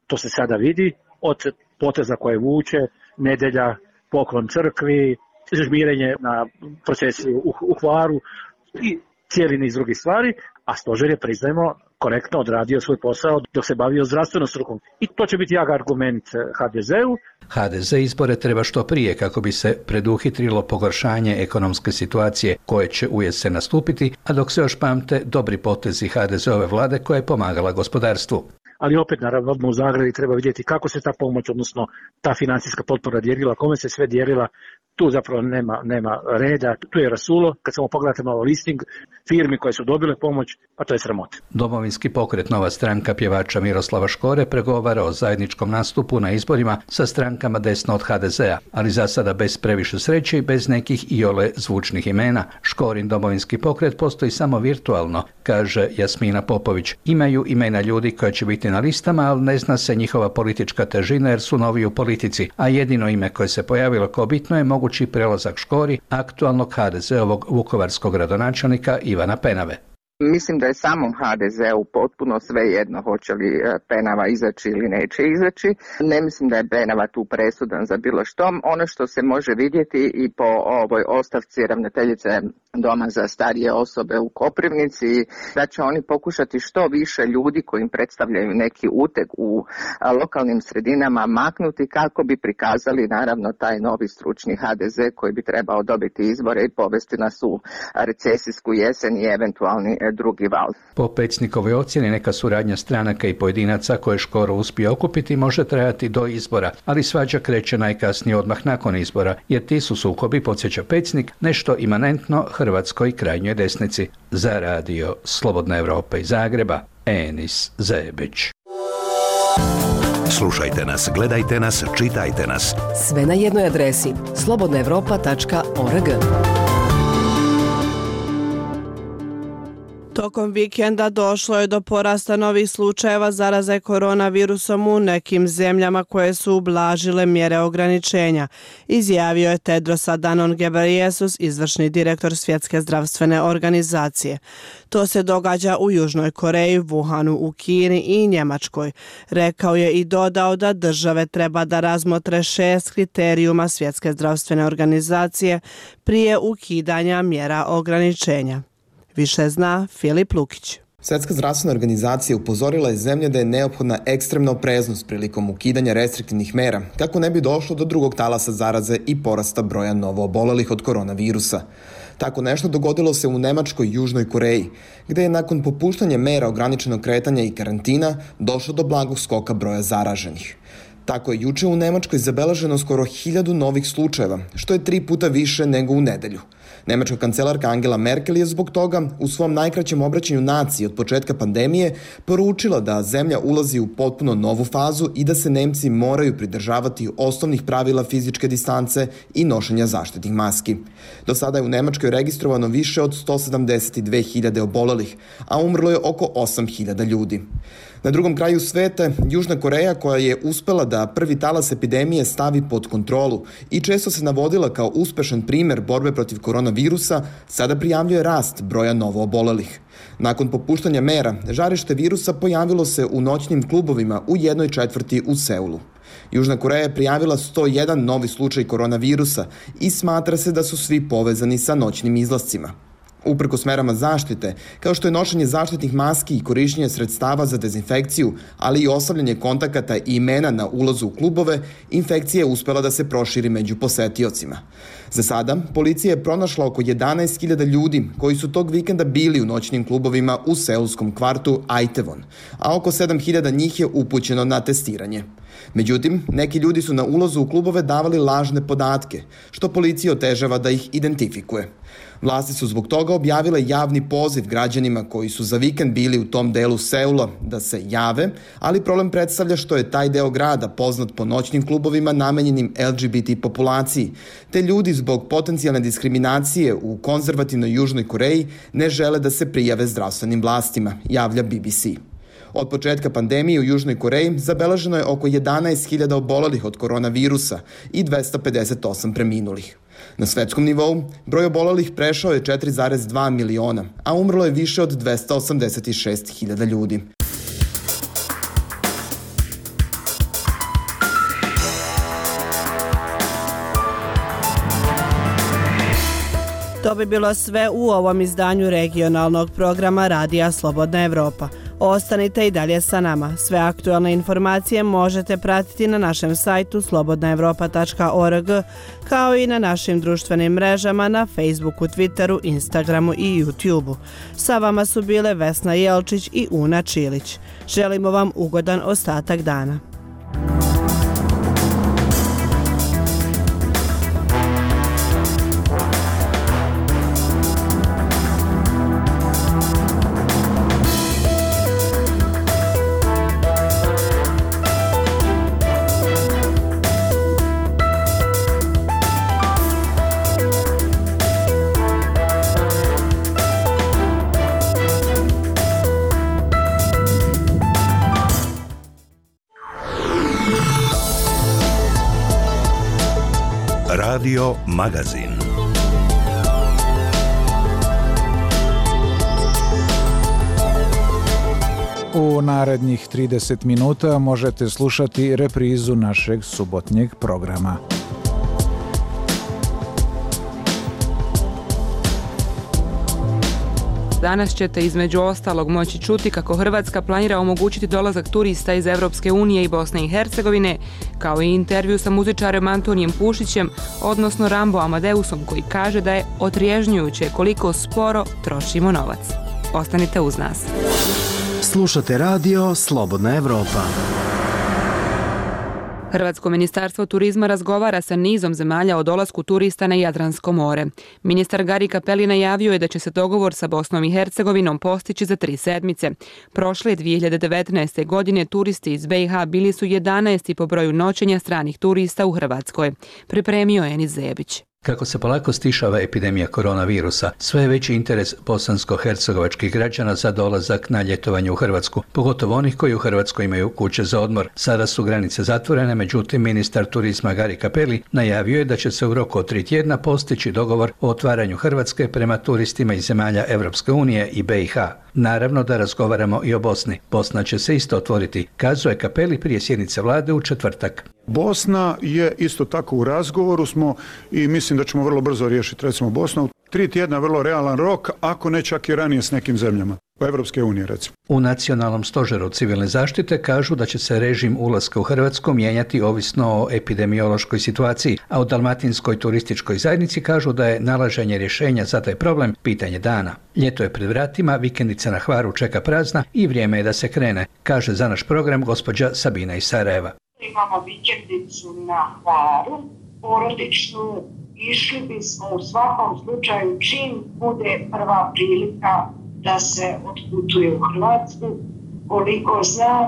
to se sada vidi od poteza koje vuče, nedjelja, poklon crkvi, žmirenje na procesiju u, u Hvaru i cijeli niz drugih stvari, a stožer je, priznajmo, korektno odradio svoj posao dok se bavio zdravstvenom strukom. I to će biti jak argument ha de zeu. ha de ze izbore treba što prije kako bi se preduhitrilo pogoršanje ekonomske situacije koje će ujesen nastupiti, a dok se još pamte dobri potezi ha de zeove vlade koja je pomagala gospodarstvu. Ali opet, naravno, odmah u Zagrebi treba vidjeti kako se ta pomoć, odnosno ta financijska potpora dijelila, kome se sve dijelila. Tu zapravo nema, nema reda, tu je rasulo. Kad samo pogledate malo listing firmi koje su dobile pomoć, a to je sramota. Domovinski pokret, nova stranka pjevača Miroslava Škore, pregovara o zajedničkom nastupu na izborima sa strankama desno od ha de zea, ali za sada bez previše sreće i bez nekih iole zvučnih imena. Škorin Domovinski pokret postoji samo virtualno, kaže Jasmina Popović. Imaju imena ljudi koja će biti na listama, ali ne zna se njihova politička težina jer su novi u politici, a jedino ime koje se pojavilo kao bitno je mogući prelazak Škori aktualnog ha de zeovog vukovarskog gradonačelnika Ivana Penave. Mislim da je samom ha de zeu potpuno svejedno hoće li Penava izaći ili neće izaći. Ne mislim da je Penava tu presudan za bilo što. Ono što se može vidjeti i po ovoj ostavci ravnateljice Doma za starije osobe u Koprivnici, da će oni pokušati što više ljudi koji im predstavljaju neki uteg u lokalnim sredinama maknuti kako bi prikazali naravno taj novi stručni ha de ze koji bi trebao dobiti izbore i povesti nas u recesijsku jesen i eventualni drugi val. Po Pecnikovoj ocjeni neka suradnja stranaka i pojedinaca koje Škoro uspije okupiti može trajati do izbora, ali svađa kreće najkasnije odmah nakon izbora, jer ti su sukobi, podsjeća Pecnik, nešto imanentno hrvatskoj krajnjoj desnici. Za radio Slobodna Evropa iz Zagreba, Enis Zebić. Slušajte nas, gledajte nas, čitajte nas. Sve na jednoj adresi slobodna evropa tačka org. Tokom vikenda došlo je do porasta novih slučajeva zaraze koronavirusom u nekim zemljama koje su ublažile mjere ograničenja, izjavio je Tedros Adhanom Ghebreyesus, izvršni direktor Svjetske zdravstvene organizacije. To se događa u Južnoj Koreji, Wuhanu u Kini i Njemačkoj. Rekao je i dodao da države treba da razmotre šest kriterijuma Svjetske zdravstvene organizacije prije ukidanja mjera ograničenja. Više zna Filip Lukić. Svjetska zdravstvena organizacija upozorila je zemlje da je neophodna ekstremna opreznost prilikom ukidanja restriktivnih mera, kako ne bi došlo do drugog talasa zaraze i porasta broja novoobolelih od koronavirusa. Tako nešto dogodilo se u Nemačkoj i Južnoj Koreji, gdje je nakon popuštanja mera ograničenog kretanja i karantina došlo do blagog skoka broja zaraženih. Tako je juče u Nemačkoj zabeleženo skoro hiljadu novih slučajeva, što je tri puta više nego u nedelju. Nemačka kancelarka Angela Merkel je zbog toga u svom najkraćem obraćanju naciji od početka pandemije poručila da zemlja ulazi u potpuno novu fazu i da se Nemci moraju pridržavati osnovnih pravila fizičke distance i nošenja zaštitnih maski. Do sada je u Nemačkoj registrovano više od sto sedamdeset dve hiljade obolelih, a umrlo je oko osam hiljada ljudi. Na drugom kraju sveta, Južna Koreja, koja je uspela da prvi talas epidemije stavi pod kontrolu i često se navodila kao uspešan primer borbe protiv koronavirusa, sada prijavljuje rast broja novoobolelih. Nakon popuštanja mera, žarište virusa pojavilo se u noćnim klubovima u jednoj četvrti u Seulu. Južna Koreja je prijavila sto jedan novi slučaj koronavirusa i smatra se da su svi povezani sa noćnim izlascima. Uprkos merama zaštite, kao što je nošenje zaštitnih maski i korištenje sredstava za dezinfekciju, ali i ostavljanje kontakata i imena na ulazu u klubove, infekcija je uspela da se proširi među posetiocima. Za sada, policija je pronašla oko jedanaest hiljada ljudi koji su tog vikenda bili u noćnim klubovima u seulskom kvartu Aitevon, a oko sedam hiljada njih je upućeno na testiranje. Međutim, neki ljudi su na ulazu u klubove davali lažne podatke, što policija otežava da ih identifikuje. Vlasti su zbog toga objavile javni poziv građanima koji su za vikend bili u tom delu Seula da se jave, ali problem predstavlja što je taj deo grada poznat po noćnim klubovima namenjenim el ge be te populaciji, te ljudi zbog potencijalne diskriminacije u konzervativnoj Južnoj Koreji ne žele da se prijave zdravstvenim vlastima, javlja be be ce. Od početka pandemije u Južnoj Koreji zabeleženo je oko jedanaest hiljada obolelih od koronavirusa i dvesta pedeset osam preminulih. Na svetskom nivou broj obolelih prešao je četiri zarez dva miliona, a umrlo je više od dvesta osamdeset šest hiljada ljudi. To bi bilo sve u ovom izdanju regionalnog programa Radija Slobodna Evropa. Ostanite i dalje sa nama. Sve aktualne informacije možete pratiti na našem sajtu slobodna evropa tačka org, kao i na našim društvenim mrežama na Facebooku, Twitteru, Instagramu i YouTubeu. Sa vama su bile Vesna Jelčić i Una Čilić. Želimo vam ugodan ostatak dana. Radio Magazin. U narednih trideset minuta možete slušati reprizu našeg subotnjeg programa. Danas ćete između ostalog moći čuti kako Hrvatska planira omogućiti dolazak turista iz Evropske unije i Bosne i Hercegovine, kao i intervju sa muzičarem Antonijem Pušićem, odnosno Rambo Amadeusom, koji kaže da je otrježnjujuće koliko sporo trošimo novac. Ostanite uz nas. Slušate radio Slobodna Evropa. Hrvatsko ministarstvo turizma razgovara sa nizom zemalja o dolasku turista na Jadransko more. Ministar Gari Cappelli najavio je da će se dogovor sa Bosnom i Hercegovinom postići za tri sedmice. Prošle dvije hiljade devetnaeste. godine turisti iz be i ha bili su jedanaesti po broju noćenja stranih turista u Hrvatskoj. Pripremio je Enis Zebić. Kako se polako stišava epidemija koronavirusa, sve je veći interes bosansko-hercegovačkih građana za dolazak na ljetovanje u Hrvatsku, pogotovo onih koji u Hrvatskoj imaju kuće za odmor. Sada su granice zatvorene, međutim ministar turizma Gari Cappelli najavio je da će se u roku od tri tjedna postići dogovor o otvaranju Hrvatske prema turistima iz zemalja Evropske unije i be i ha. Naravno da razgovaramo i o Bosni. Bosna će se isto otvoriti, kazuje Cappelli prije sjednice vlade u četvrtak. Bosna je isto tako u razgovoru smo i mislim da ćemo vrlo brzo riješiti recimo Bosnu. Tri tjedna vrlo realan rok, ako ne čak i ranije s nekim zemljama. U Evropske unije recimo. U Nacionalnom stožeru civilne zaštite kažu da će se režim ulaska u Hrvatsku mijenjati ovisno o epidemiološkoj situaciji, a u Dalmatinskoj turističkoj zajednici kažu da je nalaženje rješenja za taj problem pitanje dana. Ljeto je pred vratima, vikendica na Hvaru čeka prazna i vrijeme je da se krene, kaže za naš program gospođa Sabina iz Sarajeva. Imamo vikendicu na Hvaru, porodičnu, išli bismo u svakom slučaju čim bude prva prilika da se otputuje u Hrvatsku. Koliko znam,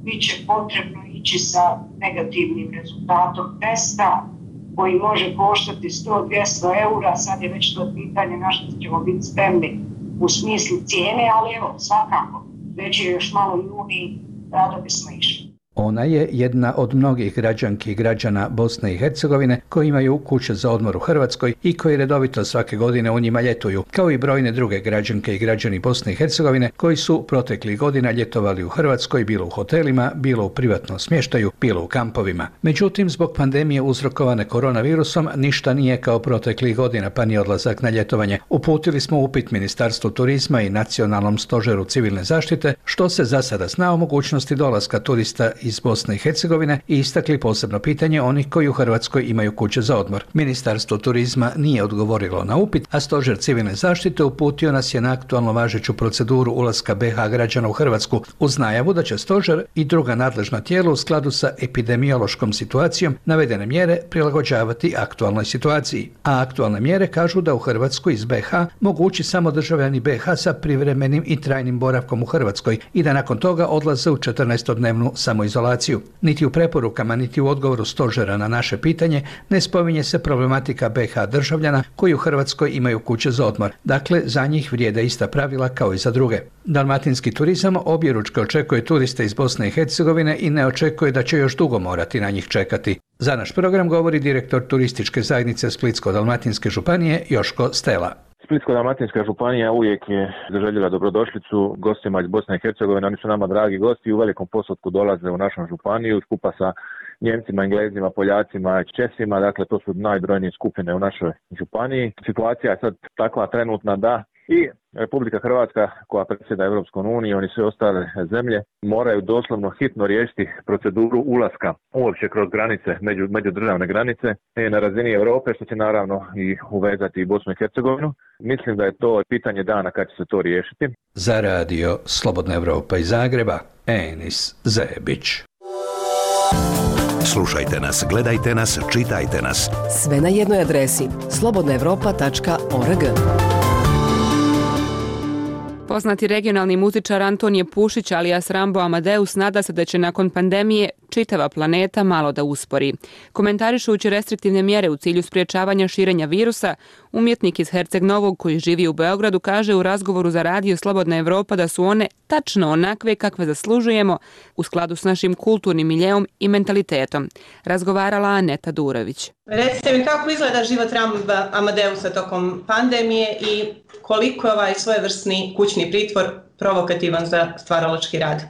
bit će potrebno ići sa negativnim rezultatom testa koji može koštati sto do dvjesto eura, sad je već to pitanje na što ćemo biti spremni u smislu cijene, ali evo, svakako, već je još malo juni, rado bismo išli. Ona je jedna od mnogih građanki i građana Bosne i Hercegovine koji imaju kuće za odmor u Hrvatskoj i koji redovito svake godine u njima ljetuju, kao i brojne druge građanke i građani Bosne i Hercegovine koji su proteklih godina ljetovali u Hrvatskoj, bilo u hotelima, bilo u privatnom smještaju, bilo u kampovima. Međutim, zbog pandemije uzrokovane koronavirusom ništa nije kao proteklih godina, pa ni odlazak na ljetovanje. Uputili smo upit Ministarstvu turizma i Nacionalnom stožeru civilne zaštite što se za sada zna o mogućnosti dolaska turista iz Bosne i Hercegovine i istakli posebno pitanje onih koji u Hrvatskoj imaju kuće za odmor. Ministarstvo turizma nije odgovorilo na upit, a stožer civilne zaštite uputio nas je na aktualno važeću proceduru ulaska be ha građana u Hrvatsku uz najavu da će stožer i druga nadležna tijela u skladu sa epidemiološkom situacijom navedene mjere prilagođavati aktualnoj situaciji. A aktualne mjere kažu da u Hrvatsku iz be ha mogu ući samo državljani be ha sa privremenim i trajnim boravkom u Hrvatskoj i da nakon toga odlaze u četrnaestodnevnu samoizolaciju. Niti u preporukama, niti u odgovoru stožera na naše pitanje ne spominje se problematika be ha državljana koji u Hrvatskoj imaju kuće za odmor. Dakle, za njih vrijede ista pravila kao i za druge. Dalmatinski turizam objeručke očekuje turiste iz Bosne i Hercegovine i ne očekuje da će još dugo morati na njih čekati. Za naš program govori direktor turističke zajednice Splitsko-dalmatinske županije Joško Stela. Splitsko-dalmatinska županija uvijek je zaželjela dobrodošlicu gostima iz Bosne i Hercegovine. Oni su nama dragi gosti i u velikom postotku dolaze u našu županiju skupa sa Njemcima, Englezima, Poljacima, Česima. Dakle, to su najbrojnije skupine u našoj županiji. Situacija je sad takva trenutna da I Republika Hrvatska, koja predsjeda Europskom unijom i sve ostale zemlje, moraju doslovno hitno riješiti proceduru ulaska uopće kroz granice, među, međudržavne granice na razini Europe, što će naravno i uvezati i Bosnu i Hercegovinu. Mislim da je to pitanje dana kad će se to riješiti. Za radio Slobodna Evropa iz Zagreba, Enis Zebić. Slušajte nas, gledajte nas, čitajte nas. Sve na jednoj adresi slobodna evropa tačka org. Poznati regionalni muzičar Antonije Pušić alias Rambo Amadeus nada se da će nakon pandemije čitava planeta malo da uspori. Komentarišući restriktivne mjere u cilju spriječavanja širenja virusa, umjetnik iz Herceg Novog koji živi u Beogradu kaže u razgovoru za radio Slobodna Evropa da su one tačno onakve kakve zaslužujemo u skladu s našim kulturnim miljeom i mentalitetom. Razgovarala Aneta Durović. Recite mi kako izgleda život Ramba Amadeusa tokom pandemije i koliko je ovaj svojevrsni kućni pritvor provokativan za stvaralački rad?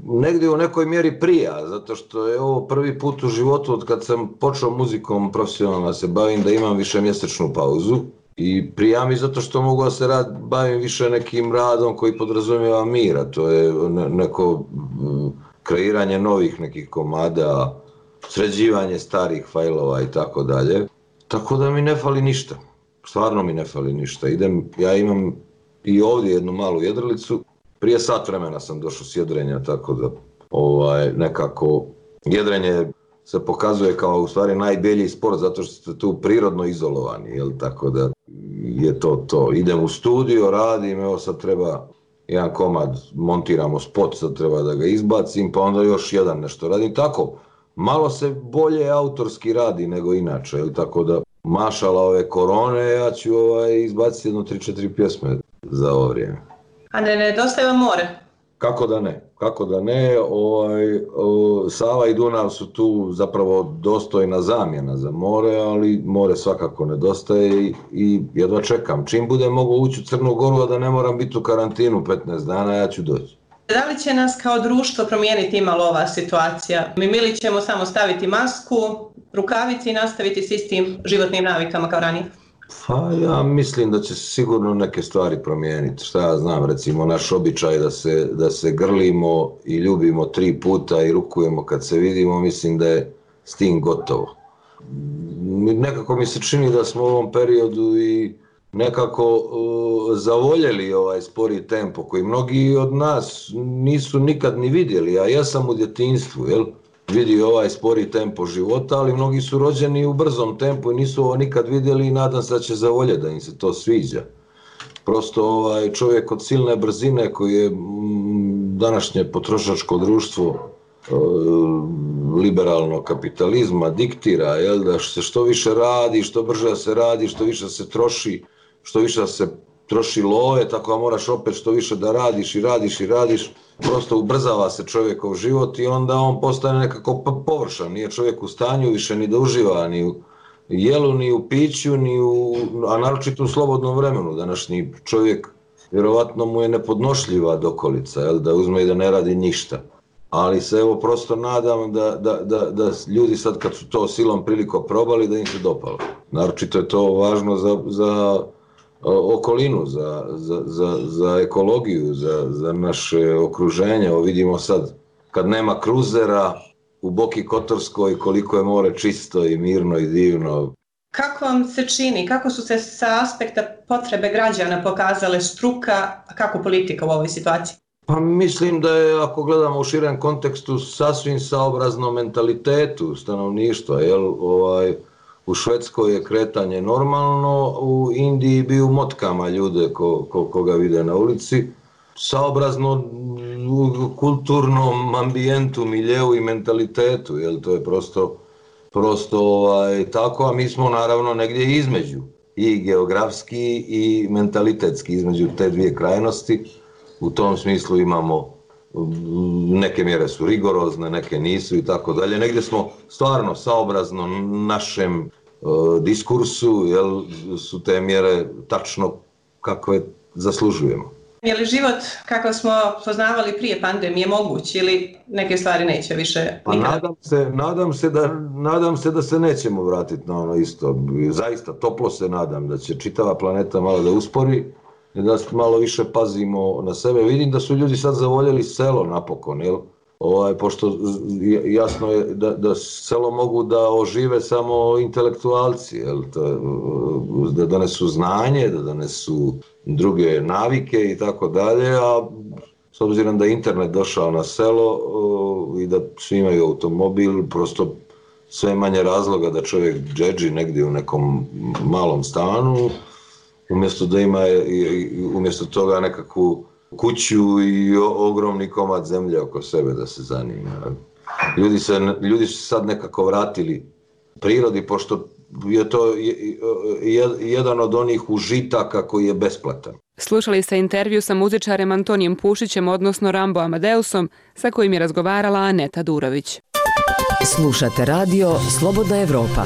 Negdje u nekoj mjeri prija, zato što je ovo prvi put u životu od kad sam počeo muzikom profesionalno se bavim da imam višemjesečnu pauzu. I prija mi zato što mogu da se rad, bavim više nekim radom koji podrazumijeva mira, to je neko kreiranje novih nekih komada, sređivanje starih fajlova i tako dalje. Tako da mi ne fali ništa, stvarno mi ne fali ništa. Idem, ja imam i ovdje jednu malu jedrilicu, prije sat vremena sam došao s jedrenja, tako da ovaj, nekako jedrenje se pokazuje kao u stvari najbolji sport zato što ste tu prirodno izolovani, jel, tako da je to to. Idem u studio, radim, evo sad treba jedan komad, montiramo spot, sad treba da ga izbacim, pa onda još jedan nešto radim, tako. Malo se bolje autorski radi nego inače, jel, tako da mašala ove korone, ja ću ovaj, izbaciti jedno tri četiri pjesme za ovo vrijeme. A ne nedostaje vam more? Kako da ne, kako da ne, ovaj, o, Sava i Dunav su tu zapravo dostojna zamjena za more, ali more svakako nedostaje i, i jedva čekam. Čim budem mogu ući u Crnu Goru, a da ne moram biti u karantinu petnaest dana, ja ću doći. Da li će nas kao društvo promijeniti imalo ova situacija? Mi ili ćemo samo staviti masku, rukavici i nastaviti s istim životnim navikama kao ranije? Pa ja mislim da će sigurno neke stvari promijeniti. Šta ja znam, recimo naš običaj da se, da se grlimo i ljubimo tri puta i rukujemo kad se vidimo, mislim da je s tim gotovo. Nekako mi se čini da smo u ovom periodu i nekako uh, zavoljeli ovaj spori tempo koji mnogi od nas nisu nikad ni vidjeli, a ja sam u djetinjstvu, jel? Vidio ovaj spori tempo života, ali mnogi su rođeni u brzom tempu i nisu ovo nikad vidjeli i nadam se da će zavoljeti da im se to sviđa. Prosto ovaj čovjek od silne brzine koji je m, današnje potrošačko društvo e, liberalnog kapitalizma diktira, jel, da se što više radi, što brže se radi, što više se troši, što više se troši love, tako da moraš opet što više da radiš i radiš i radiš. Prosto ubrzava se čovjekov život i onda on postane nekako površan. Nije čovjek u stanju više ni da uživa ni u jelu, ni u piću, ni u, a naročito u slobodnom vremenu. Današnji čovjek, vjerovatno mu je nepodnošljiva dokolica, jel, da uzme i da ne radi ništa. Ali se evo prosto nadam da, da, da, da ljudi sad kad su to silom priliko probali da im se dopalo. Naročito je to važno za, za okolinu, za, za, za, za ekologiju, za, za naše okruženje. Evo vidimo sad, kad nema kruzera u Boki Kotorskoj, koliko je more čisto i mirno i divno. Kako vam se čini, kako su se sa aspekta potrebe građana pokazale struka, a kako politika u ovoj situaciji? Pa mislim da je, ako gledamo u širem kontekstu, sasvim saobrazno mentalitetu stanovništva, jel, ovaj, u Švedskoj je kretanje normalno, u Indiji bi u motkama ljude ko, ko, koga vide na ulici. Saobrazno u kulturnom ambijentu, miljeu i mentalitetu, jel, to je prosto, prosto ovaj, tako, a mi smo naravno negdje između, i geografski i mentalitetski, između te dvije krajnosti. U tom smislu imamo, neke mjere su rigorozne, neke nisu i tako dalje. Negdje smo stvarno saobrazno našem e, diskursu, jel, su te mjere tačno kakve zaslužujemo. Je li život kakav smo poznavali prije pandemije moguć ili neke stvari neće više pa nadam se, nadam se da, nadam se da se nećemo vratiti na ono isto. Zaista toplo se nadam da će čitava planeta malo da uspori da malo više pazimo na sebe. Vidim da su ljudi sad zavoljeli selo napokon, jel? Ovaj, pošto jasno je da, da selo mogu da ožive samo intelektualci, jel? Da donesu znanje, da donesu druge navike i tako dalje, a s obzirom da je internet došao na selo i da svi imaju automobil, prosto sve manje razloga da čovjek džedži negdje u nekom malom stanu, umjesto da ima umjesto toga nekakvu kuću i ogromni komad zemlje oko sebe da se zanima. Ljudi, se, ljudi su sad nekako vratili prirodi, pošto je to jedan od onih užitaka koji je besplatan. Slušali ste intervju sa muzičarem Antonijem Pušićem, odnosno Rambo Amadeusom, sa kojim je razgovarala Aneta Durović. Slušate radio Slobodna Evropa.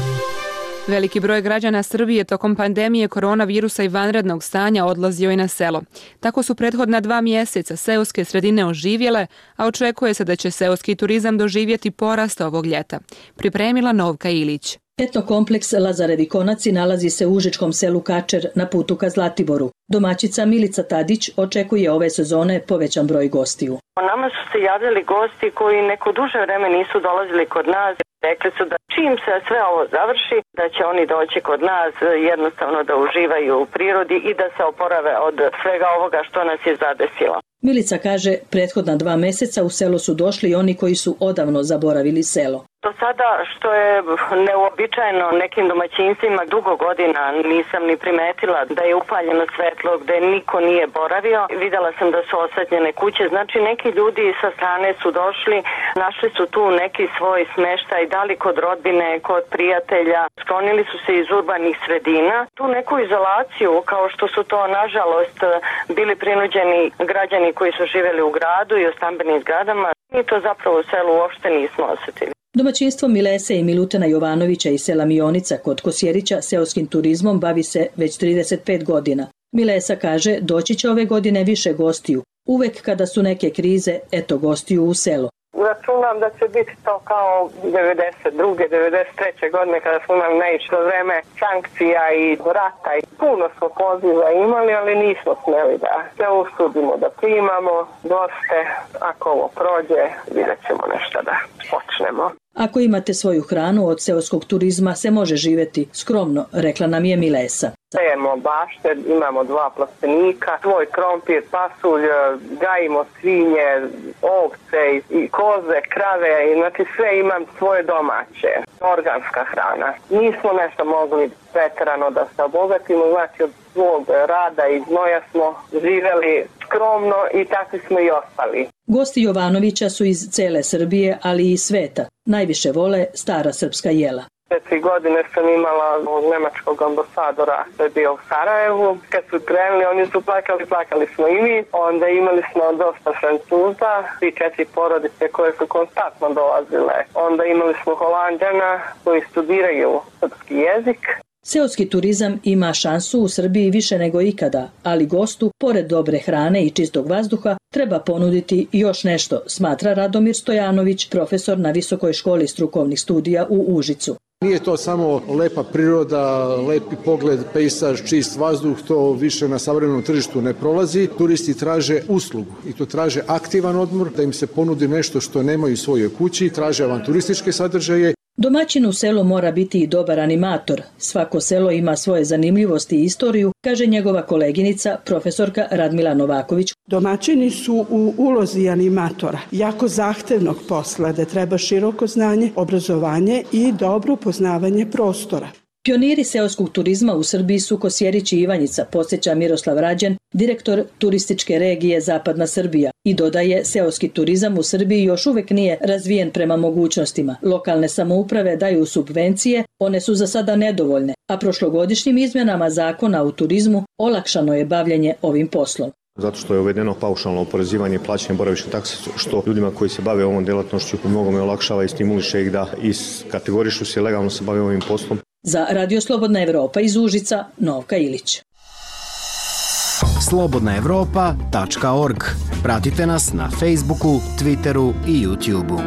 Veliki broj građana Srbije tokom pandemije koronavirusa i vanrednog stanja odlazio je na selo. Tako su prethodna dva mjeseca seoske sredine oživjele, a očekuje se da će seoski turizam doživjeti porast ovog ljeta. Pripremila Novka Ilić. Etnokompleks Lazarevi konaci nalazi se u užičkom selu Kačer na putu ka Zlatiboru. Domaćica Milica Tadić očekuje ove sezone povećan broj gostiju. Nama su se javljali gosti koji neko duže vreme nisu dolazili kod nas. Rekli su da čim se sve ovo završi, da će oni doći kod nas jednostavno da uživaju u prirodi i da se oporave od svega ovoga što nas je zadesilo. Milica kaže, prethodna dva mjeseca u selo su došli oni koji su odavno zaboravili selo. Do sada, što je neuobičajeno nekim domaćinstvima, dugo godina nisam ni primetila da je upaljeno svetlo gde niko nije boravio. Videla sam da su osvetljene kuće, znači neki ljudi sa strane su došli, našli su tu neki svoj smeštaj, da li kod rodbine, kod prijatelja, sklonili su se iz urbanih sredina. Tu neku izolaciju, kao što su to nažalost bili prinuđeni građani koji su živjeli u gradu i u stambenim zgradama, mi to zapravo u selu uopšte nismo osjetili. Domaćinstvo Milese i Milutena Jovanovića iz sela Mionica kod Kosjerića seoskim turizmom bavi se već trideset pet godina. Milesa kaže, doći će ove godine više gostiju. Uvek kada su neke krize, eto gostiju u selo. Računam da će biti to kao devedeset druge devedeset treće godine kada smo imali naišlo vreme sankcija i rata i puno smo poziva imali, ali nismo smeli da se usudimo da primamo goste. Ako ovo prođe, vidjet ćemo nešto da počnemo. Ako imate svoju hranu, od seoskog turizma se može živjeti skromno, rekla nam je Milesa. Sejemo bašte, imamo dva plastenika, svoj krompir, pasulj, gajimo svinje, ovce i koze, krave, znači sve imam svoje domaće, organska hrana. Nismo nešto mogli preterano da se obogatimo, znači od svog rada i znoja smo živjeli skromno i takvi smo i ostali. Gosti Jovanovića su iz cele Srbije, ali i sveta. Najviše vole stara srpska jela. Četiri godine sam imala nemačkog ambasadora koji je bio u Sarajevu. Kad su krenuli, oni su plakali, plakali smo i mi. Onda imali smo dosta Francuza, tri četiri porodice koje su konstantno dolazile. Onda imali smo Holanđana koji studiraju srpski jezik. Seoski turizam ima šansu u Srbiji više nego ikada, ali gostu, pored dobre hrane i čistog vazduha, treba ponuditi još nešto, smatra Radomir Stojanović, profesor na Visokoj školi strukovnih studija u Užicu. Nije to samo lepa priroda, lepi pogled, pejsaž, čist vazduh, to više na savremenom tržištu ne prolazi. Turisti traže uslugu i to traže aktivan odmor, da im se ponudi nešto što nemaju u svojoj kući, traže avanturističke sadržaje. Domaćin u selu mora biti i dobar animator. Svako selo ima svoje zanimljivosti i istoriju, kaže njegova koleginica, profesorka Radmila Novaković. Domaćini su u ulozi animatora, jako zahtevnog posla, da treba široko znanje, obrazovanje i dobro poznavanje prostora. Pioniri seoskog turizma u Srbiji su Kosjerić i Ivanjica, podsjeća Miroslav Rađen, direktor turističke regije Zapadna Srbija, i dodaje, seoski turizam u Srbiji još uvek nije razvijen prema mogućnostima. Lokalne samouprave daju subvencije, one su za sada nedovoljne, a prošlogodišnjim izmjenama zakona u turizmu olakšano je bavljenje ovim poslom. Zato što je uvedeno paušalno oporezivanje i plaćanje boravišne takse, što ljudima koji se bave ovom djelatnošću u mnogome olakšava i stimuliše ih da iskategorišu se legalno se bave ovim poslom. Za Radio Slobodna Evropa iz Užica, Novka Ilić. slobodna evropa tačka org. Pratite nas na Facebooku, Twitteru i YouTubeu.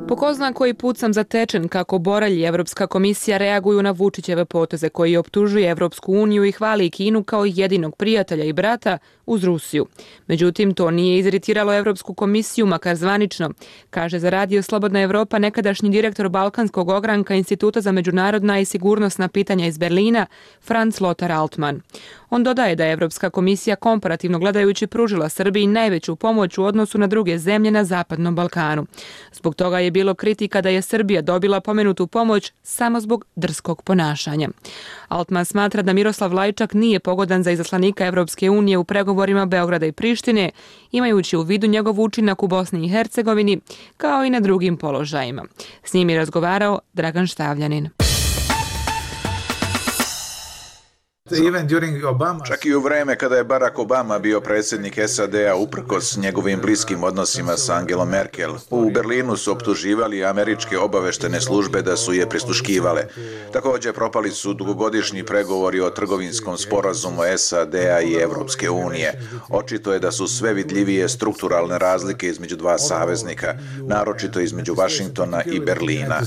Po ko zna koji put sam zatečen kako Borelj i Evropska komisija reaguju na Vučićeve poteze koji optužuje Evropsku uniju i hvali Kinu kao jedinog prijatelja i brata uz Rusiju. Međutim, to nije iziritiralo Evropsku komisiju, makar zvanično, kaže za Radio Slobodna Evropa nekadašnji direktor Balkanskog ogranka Instituta za međunarodna i sigurnosna pitanja iz Berlina, Franz Lothar Altmann. On dodaje da je Evropska komisija komparativno gledajući pružila Srbiji najveću pomoć u odnosu na druge zemlje na Zapadnom Balkanu. Zbog toga je bilo kritika da je Srbija dobila pomenutu pomoć samo zbog drskog ponašanja. Altmann smatra da Miroslav Lajčak nije pogodan za izaslanika Evropske unije u pregovorima Beograda i Prištine, imajući u vidu njegov učinak u Bosni i Hercegovini, kao i na drugim položajima. S njim je razgovarao Dragan Štavljanin. Čak i u vreme kada je Barack Obama bio predsjednik S A D-a uprkos njegovim bliskim odnosima sa Angelom Merkel, u Berlinu su optuživali američke obaveštene službe da su je prisluškivale. Također propali su dugogodišnji pregovori o trgovinskom sporazumu S A D-a i Evropske unije. Očito je da su sve vidljivije strukturalne razlike između dva saveznika, naročito između Vašingtona i Berlina.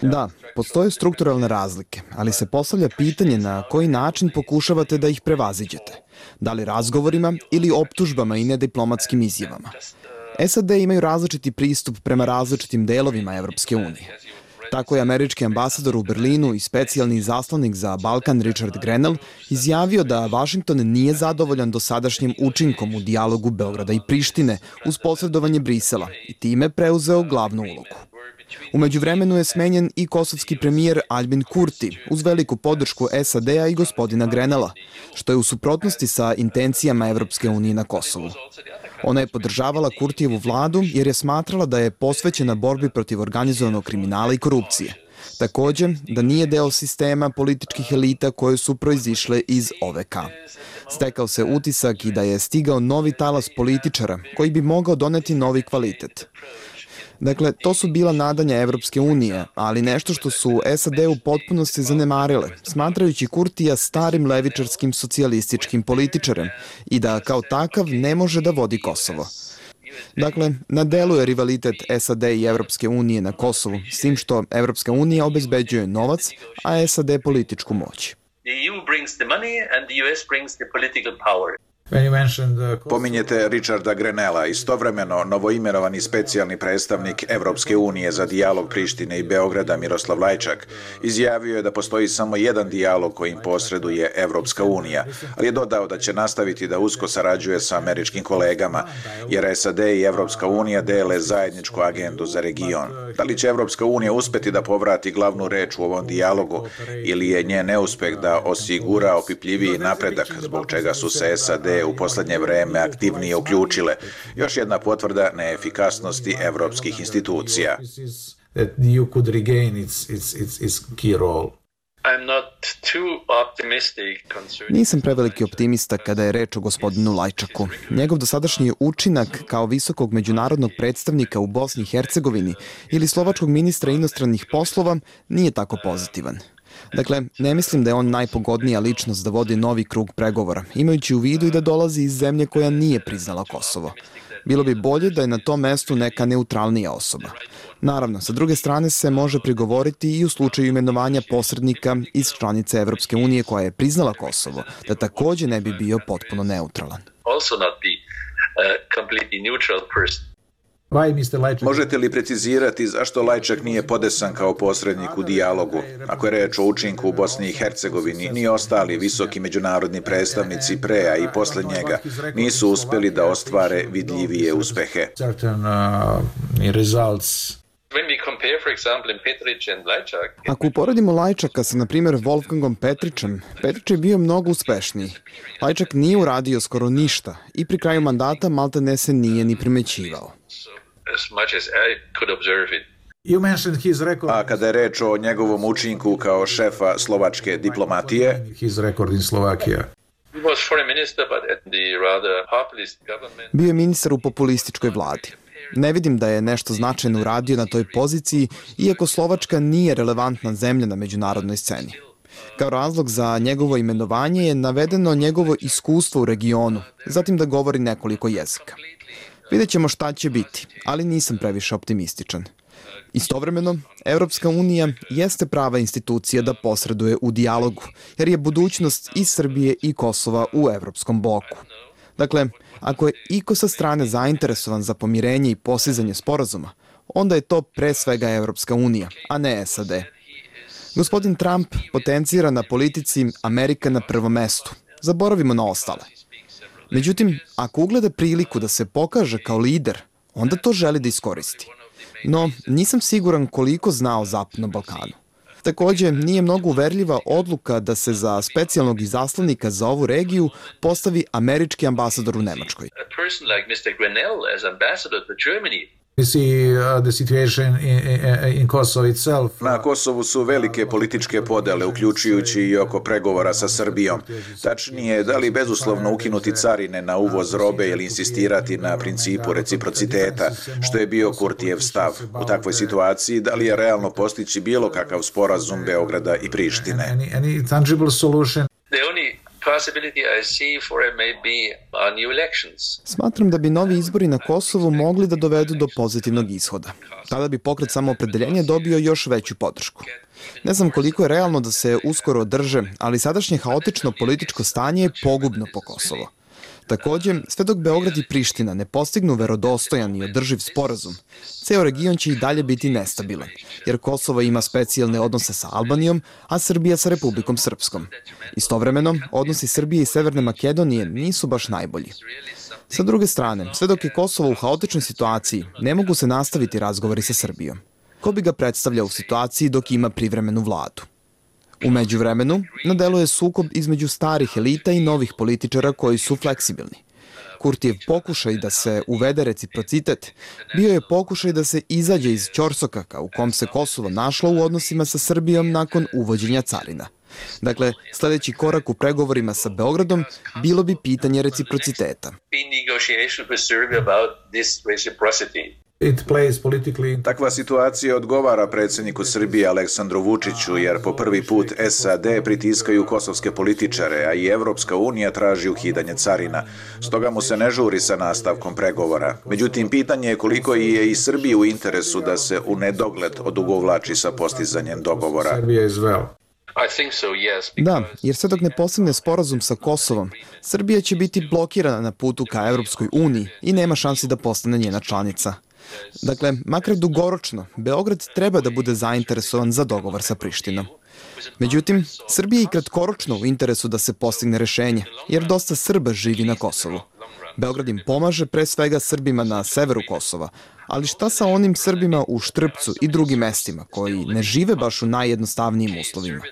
Da, postoje strukturalne razlike, ali se postavlja pitanje na koji način pokušavate da ih prevaziđete. Da li razgovorima ili optužbama i nediplomatskim izjavama. S A D imaju različiti pristup prema različitim delovima Evropske unije. Tako je američki ambasador u Berlinu i specijalni izaslanik za Balkan Richard Grenell izjavio da Vašington nije zadovoljan dosadašnjim učinkom u dijalogu Beograda i Prištine uz posredovanje Brisela i time preuzeo glavnu ulogu. U međuvremenu je smenjen i kosovski premijer Albin Kurti uz veliku podršku S A D-a i gospodina Grenella, što je u suprotnosti sa intencijama Evropske unije na Kosovu. Ona je podržavala Kurtijevu vladu jer je smatrala da je posvećena borbi protiv organizovanog kriminala i korupcije. Također, da nije deo sistema političkih elita koje su proizišle iz O V K. Stekao se utisak i da je stigao novi talas političara koji bi mogao doneti novi kvalitet. Dakle, to su bila nadanja Evropske unije, ali nešto što su S A D u potpunosti zanemarile, smatrajući Kurtija starim levičarskim socijalističkim političarem i da kao takav ne može da vodi Kosovo. Dakle, na delu je rivalitet S A D i Evropske unije na Kosovu, s tim što Evropska unija obezbeđuje novac, a S A D političku moć. Pominjete Richarda Grenella, istovremeno novoimenovani specijalni predstavnik Evropske unije za dijalog Prištine i Beograda Miroslav Lajčak izjavio je da postoji samo jedan dijalog kojim posreduje Evropska unija, ali je dodao da će nastaviti da usko sarađuje sa američkim kolegama, jer S A D i Evropska unija dele zajedničku agendu za region. Da li će Evropska unija uspeti da povrati glavnu reč u ovom dijalogu ili je njen neuspeh da osigura opipljiviji napredak, zbog čega su se S A D u posljednje vreme aktivnije uključile. Još jedna potvrda neefikasnosti evropskih institucija. Nisam preveliki optimista kada je reč o gospodinu Lajčaku. Njegov dosadašnji učinak kao visokog međunarodnog predstavnika u Bosni i Hercegovini ili slovačkog ministra inostranih poslova nije tako pozitivan. Dakle, ne mislim da je on najpogodnija ličnost da vodi novi krug pregovora, imajući u vidu i da dolazi iz zemlje koja nije priznala Kosovo. Bilo bi bolje da je na tom mestu neka neutralnija osoba. Naravno, sa druge strane se može prigovoriti i u slučaju imenovanja posrednika iz članice Evropske unije koja je priznala Kosovo, da također ne bi bio potpuno neutralan. Možete li precizirati zašto Lajčak nije podesan kao posrednik u dijalogu? Ako je reč o učinku u Bosni i Hercegovini, ni ostali visoki međunarodni predstavnici pre, a i posle njega, nisu uspjeli da ostvare vidljivije uspehe. Ako uporedimo Lajčaka sa, na primjer, Wolfgangom Petrićem, Petrić je bio mnogo uspešniji. Lajčak nije uradio skoro ništa i pri kraju mandata maltene se nije ni primećivao. A kada je reč o njegovom učinku kao šefa slovačke diplomatije, bio je ministar u populističkoj vladi. Ne vidim da je nešto značajno uradio na toj poziciji, iako Slovačka nije relevantna zemlja na međunarodnoj sceni. Kao razlog za njegovo imenovanje je navedeno njegovo iskustvo u regionu, zatim da govori nekoliko jezika. Vidjet ćemo šta će biti, ali nisam previše optimističan. Istovremeno, Evropska unija jeste prava institucija da posreduje u dijalogu, jer je budućnost i Srbije i Kosova u evropskom bloku. Dakle, ako je iko sa strane zainteresovan za pomirenje i postizanje sporazuma, onda je to pre svega Evropska unija, a ne S A D. Gospodin Trump potencira na politici Amerika na prvom mestu. Zaboravimo na ostale. Međutim, ako ugleda priliku da se pokaže kao lider, onda to želi da iskoristi. No, nisam siguran koliko zna o Zapadnom Balkanu. Takođe, nije mnogo uverljiva odluka da se za specijalnog izaslanika za ovu regiju postavi američki ambasador u Nemačkoj. Na Kosovu su velike političke podele, uključujući i oko pregovora sa Srbijom. Tačnije, da li bezuslovno ukinuti carine na uvoz robe ili insistirati na principu reciprociteta, što je bio Kurtijev stav. U takvoj situaciji, da li je realno postići bilo kakav sporazum Beograda i Prištine? Smatram da bi novi izbori na Kosovu mogli da dovedu do pozitivnog ishoda. Tada bi pokret Samoopredeljenje dobio još veću podršku. Ne znam koliko je realno da se uskoro održe, ali sadašnje haotično političko stanje je pogubno po Kosovo. Takođe, sve dok Beograd i Priština ne postignu verodostojan i održiv sporazum, ceo region će i dalje biti nestabilan, jer Kosovo ima specijalne odnose sa Albanijom, a Srbija sa Republikom Srpskom. Istovremeno, odnosi Srbije i Severne Makedonije nisu baš najbolji. Sa druge strane, sve dok je Kosovo u haotičnoj situaciji, ne mogu se nastaviti razgovori sa Srbijom. Ko bi ga predstavljao u situaciji dok ima privremenu vladu? U međuvremenu, na delu je sukob između starih elita i novih političara koji su fleksibilni. Kurtijev pokušaj da se uvede reciprocitet bio je pokušaj da se izađe iz ćorsokaka u kom se Kosovo našlo u odnosima sa Srbijom nakon uvođenja carina. Dakle, sledeći korak u pregovorima sa Beogradom bilo bi pitanje reciprociteta. Takva situacija odgovara predsjedniku Srbije Aleksandru Vučiću, jer po prvi put S A D pritiskaju kosovske političare, a i Evropska unija traži ukidanje carina. Stoga mu se ne žuri sa nastavkom pregovora. Međutim, pitanje je koliko je i Srbiji u interesu da se u nedogled odugovlači sa postizanjem dogovora. Da, jer sve dok ne postigne sporazum sa Kosovom, Srbija će biti blokirana na putu ka Evropskoj uniji i nema šansi da postane njena članica. Dakle, makar dugoročno, Beograd treba da bude zainteresovan za dogovor sa Prištinom. Međutim, Srbija je i kratkoročno u interesu da se postigne rešenje, jer dosta Srba živi na Kosovu. Beograd im pomaže pre svega Srbima na severu Kosova, ali šta sa onim Srbima u Štrpcu i drugim mestima koji ne žive baš u najjednostavnijim uslovima?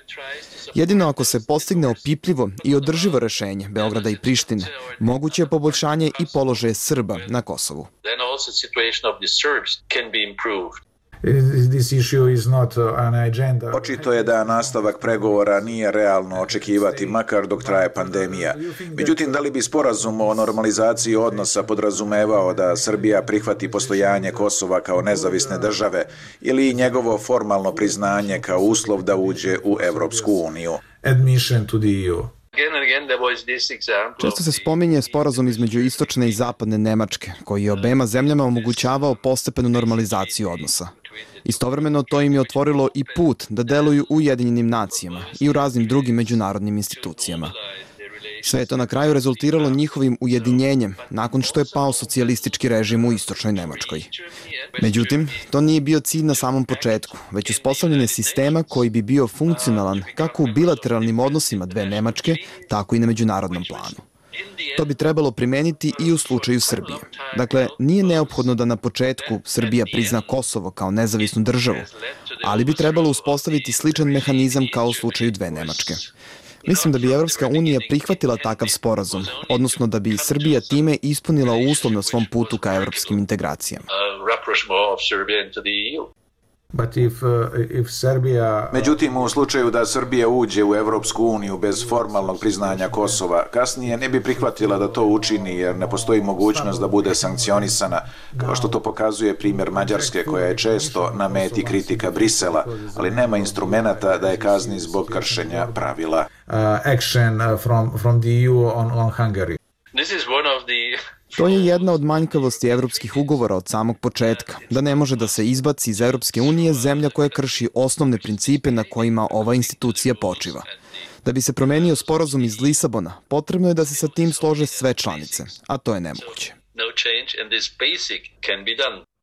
Jedino ako se postigne opipljivo i održivo rešenje Beograda i Prištine, moguće je poboljšanje i položaje Srba na Kosovu. Očito je da nastavak pregovora nije realno očekivati, makar dok traje pandemija. Međutim, da li bi sporazum o normalizaciji odnosa podrazumevao da Srbija prihvati postojanje Kosova kao nezavisne države ili njegovo formalno priznanje kao uslov da uđe u Evropsku uniju? Često se spominje sporazum između istočne i zapadne Nemačke, koji je obema zemljama omogućavao postepenu normalizaciju odnosa. Istovremeno to im je otvorilo i put da deluju u Ujedinjenim nacijama i u raznim drugim međunarodnim institucijama. Sve je to na kraju rezultiralo njihovim ujedinjenjem nakon što je pao socijalistički režim u istočnoj Nemačkoj. Međutim, to nije bio cilj na samom početku, već uspostavljanje sistema koji bi bio funkcionalan kako u bilateralnim odnosima dve Nemačke, tako i na međunarodnom planu. To bi trebalo primeniti i u slučaju Srbije. Dakle, nije neophodno da na početku Srbija prizna Kosovo kao nezavisnu državu, ali bi trebalo uspostaviti sličan mehanizam kao u slučaju dve Nemačke. Mislim da bi Evropska unija prihvatila takav sporazum, odnosno da bi Srbija time ispunila uslov na svom putu ka evropskim integracijama. Međutim, u slučaju da Srbija uđe u Evropsku uniju bez formalnog priznanja Kosova, kasnije ne bi prihvatila da to učini jer ne postoji mogućnost da bude sankcionisana, kao što to pokazuje primjer Mađarske koja je često na meti kritika Brisela, ali nema instrumenata da je kazni zbog kršenja pravila. Action from from the E U on on Hungary. To je jedna od manjkavosti evropskih ugovora od samog početka, da ne može da se izbaci iz Evropske unije zemlja koja krši osnovne principe na kojima ova institucija počiva. Da bi se promenio sporazum iz Lisabona, potrebno je da se sa tim slože sve članice, a to je nemoguće.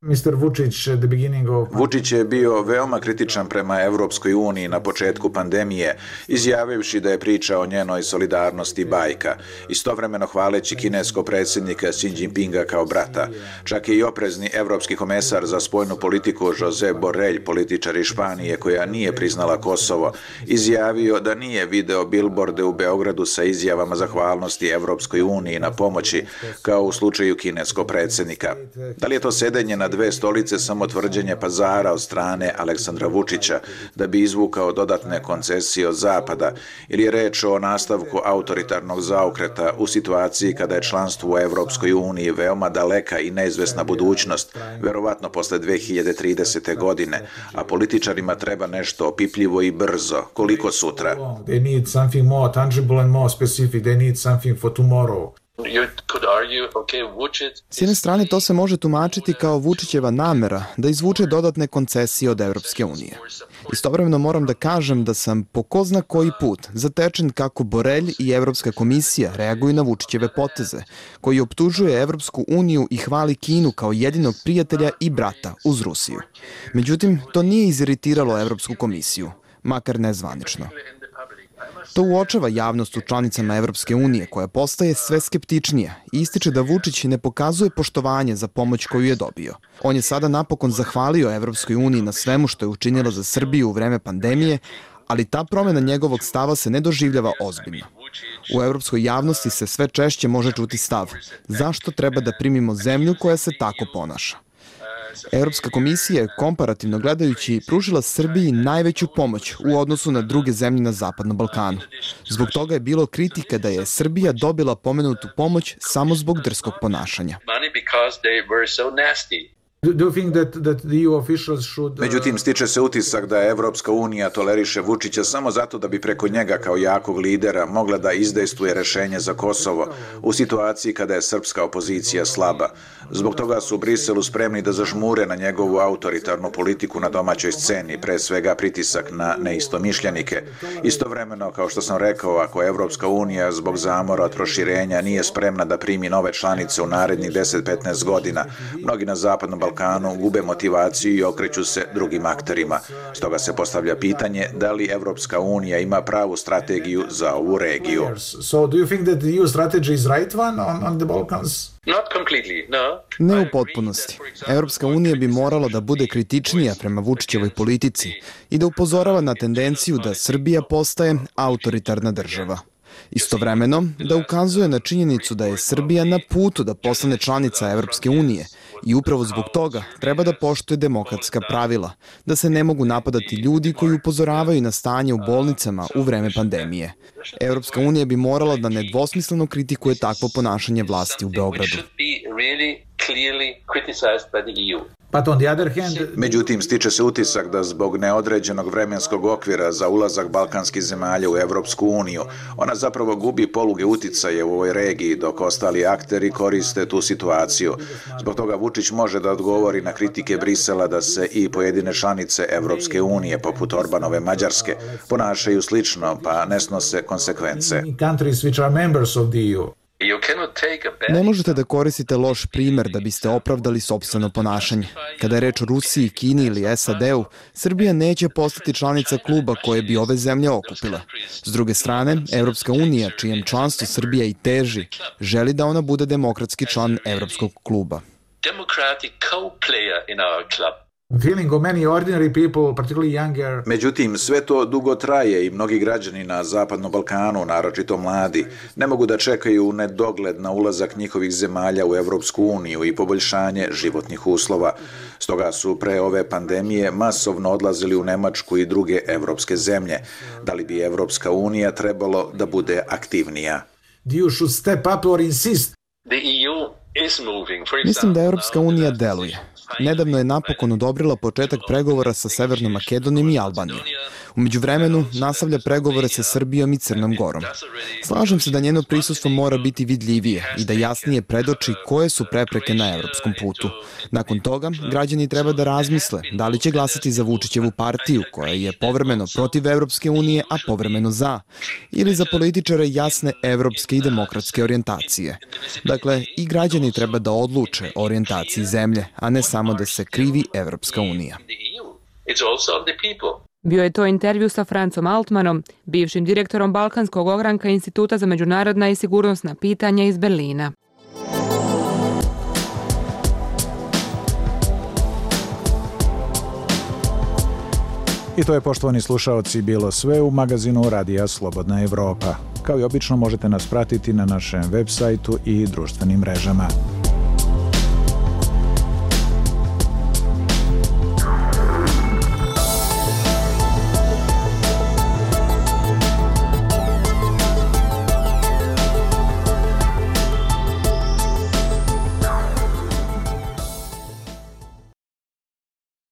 mister Vučić, the beginning of... Vučić je bio veoma kritičan prema Evropskoj uniji na početku pandemije, izjavivši da je priča o njenoj solidarnosti bajka, istovremeno hvaleći kineskog predsjednika Xi Jinpinga kao brata. Čak je i oprezni evropski komesar za spoljnu politiku Josep Borrell, političar iz Španije koja nije priznala Kosovo, izjavio da nije video bilborde u Beogradu sa izjavama zahvalnosti Evropskoj uniji na pomoći, kao u slučaju kineskog predsjednika. Da li je to sedenje na dve stolice samo tvrđenje pazara od strane Aleksandra Vučića da bi izvukao dodatne koncesije od Zapada ili je reč o nastavku autoritarnog zaokreta u situaciji kada je članstvo u Evropskoj uniji veoma daleka i neizvesna budućnost, verovatno posle dve hiljade tridesete. godine, a političarima treba nešto opipljivo i brzo, koliko sutra. They need something more tangible and more specific. They need something for tomorrow. S jedne strane to se može tumačiti kao Vučićeva namera da izvuče dodatne koncesije od Evropske unije. Istovremeno moram da kažem da sam po ko zna koji put zatečen kako Borrell i Evropska komisija reaguju na Vučićeve poteze, koji optužuje Evropsku uniju i hvali Kinu kao jedinog prijatelja i brata uz Rusiju. Međutim, to nije iziritiralo Evropsku komisiju, makar nezvanično. To uočava javnost u članicama Evropske unije, koja postaje sve skeptičnija i ističe da Vučić ne pokazuje poštovanje za pomoć koju je dobio. On je sada napokon zahvalio Evropskoj uniji na svemu što je učinila za Srbiju u vreme pandemije, ali ta promjena njegovog stava se ne doživljava ozbiljno. U evropskoj javnosti se sve češće može čuti stav: zašto treba da primimo zemlju koja se tako ponaša? Evropska komisija je, komparativno gledajući, pružila Srbiji najveću pomoć u odnosu na druge zemlje na Zapadnom Balkanu. Zbog toga je bilo kritike da je Srbija dobila pomenutu pomoć samo zbog drskog ponašanja. Međutim, stiče se utisak da Evropska unija toleriše Vučića samo zato da bi preko njega kao jakog lidera mogla da izdejstvuje rešenje za Kosovo u situaciji kada je srpska opozicija slaba. Zbog toga su u Briselu spremni da zažmure na njegovu autoritarnu politiku na domaćoj sceni, pre svega pritisak na neistomišljenike. Istovremeno, kao što sam rekao, ako Evropska unija zbog zamora od proširenja nije spremna da primi nove članice u narednih deset do petnaest godina, mnogi na Zapadnom Balkanu gube motivaciju i okreću se drugim akterima. Stoga se postavlja pitanje da li Evropska unija ima pravu strategiju za ovu regiju. So do you think that the E U strategy is right one on, on the Balkans? Ne u potpunosti. Evropska unija bi morala da bude kritičnija prema Vučićevoj politici i da upozorava na tendenciju da Srbija postaje autoritarna država. Istovremeno, da ukazuje na činjenicu da je Srbija na putu da postane članica Evropske unije i upravo zbog toga treba da poštuje demokratska pravila, da se ne mogu napadati ljudi koji upozoravaju na stanje u bolnicama u vreme pandemije. Evropska unija bi morala da nedvosmisleno kritikuje takvo ponašanje vlasti u Beogradu. Međutim, stiče se utisak da zbog neodređenog vremenskog okvira za ulazak balkanskih zemalja u Evropsku uniju, ona zapravo gubi poluge uticaje u ovoj regiji, dok ostali akteri koriste tu situaciju. Zbog toga Vučić može da odgovori na kritike Brisela da se i pojedine članice Evropske unije, poput Orbanove Mađarske, ponašaju slično, pa ne snose konsekvence. Ne možete da koristite loš primer da biste opravdali sopstveno ponašanje. Kada je reč o Rusiji, Kini ili S A D-u, Srbija neće postati članica kluba koje bi ove zemlje okupile. S druge strane, Evropska unija, čijem članstvu Srbija i teži, želi da ona bude demokratski član Evropskog kluba. Međutim, sve to dugo traje i mnogi građani na Zapadnom Balkanu, naročito mladi, ne mogu da čekaju u nedogled na ulazak njihovih zemalja u Evropsku uniju i poboljšanje životnih uslova. Stoga su pre ove pandemije masovno odlazili u Nemačku i druge evropske zemlje. Da li bi Evropska unija trebalo da bude aktivnija? Mislim da Evropska unija deluje. Nedavno je napokon odobrila početak pregovora sa Severnom Makedonijom i Albanijom. U međuvremenu nastavlja pregovore sa Srbijom i Crnom Gorom. Slažem se da njeno prisustvo mora biti vidljivije i da jasnije predoči koje su prepreke na evropskom putu. Nakon toga, građani treba da razmisle da li će glasati za Vučićevu partiju, koja je povremeno protiv Evropske unije, a povremeno za, ili za političare jasne evropske i demokratske orijentacije. Dakle, i građani treba da odluče o orijentaciji zemlje, a ne samo da se krivi Evropska unija. Bio je to intervju sa Francom Altmanom, bivšim direktorom Balkanskog ogranka Instituta za međunarodna i sigurnosna pitanja iz Berlina. I to je, poštovani slušaoci, bilo sve u magazinu Radija Slobodna Evropa. Kao i obično možete nas pratiti na našem web sajtu i društvenim mrežama.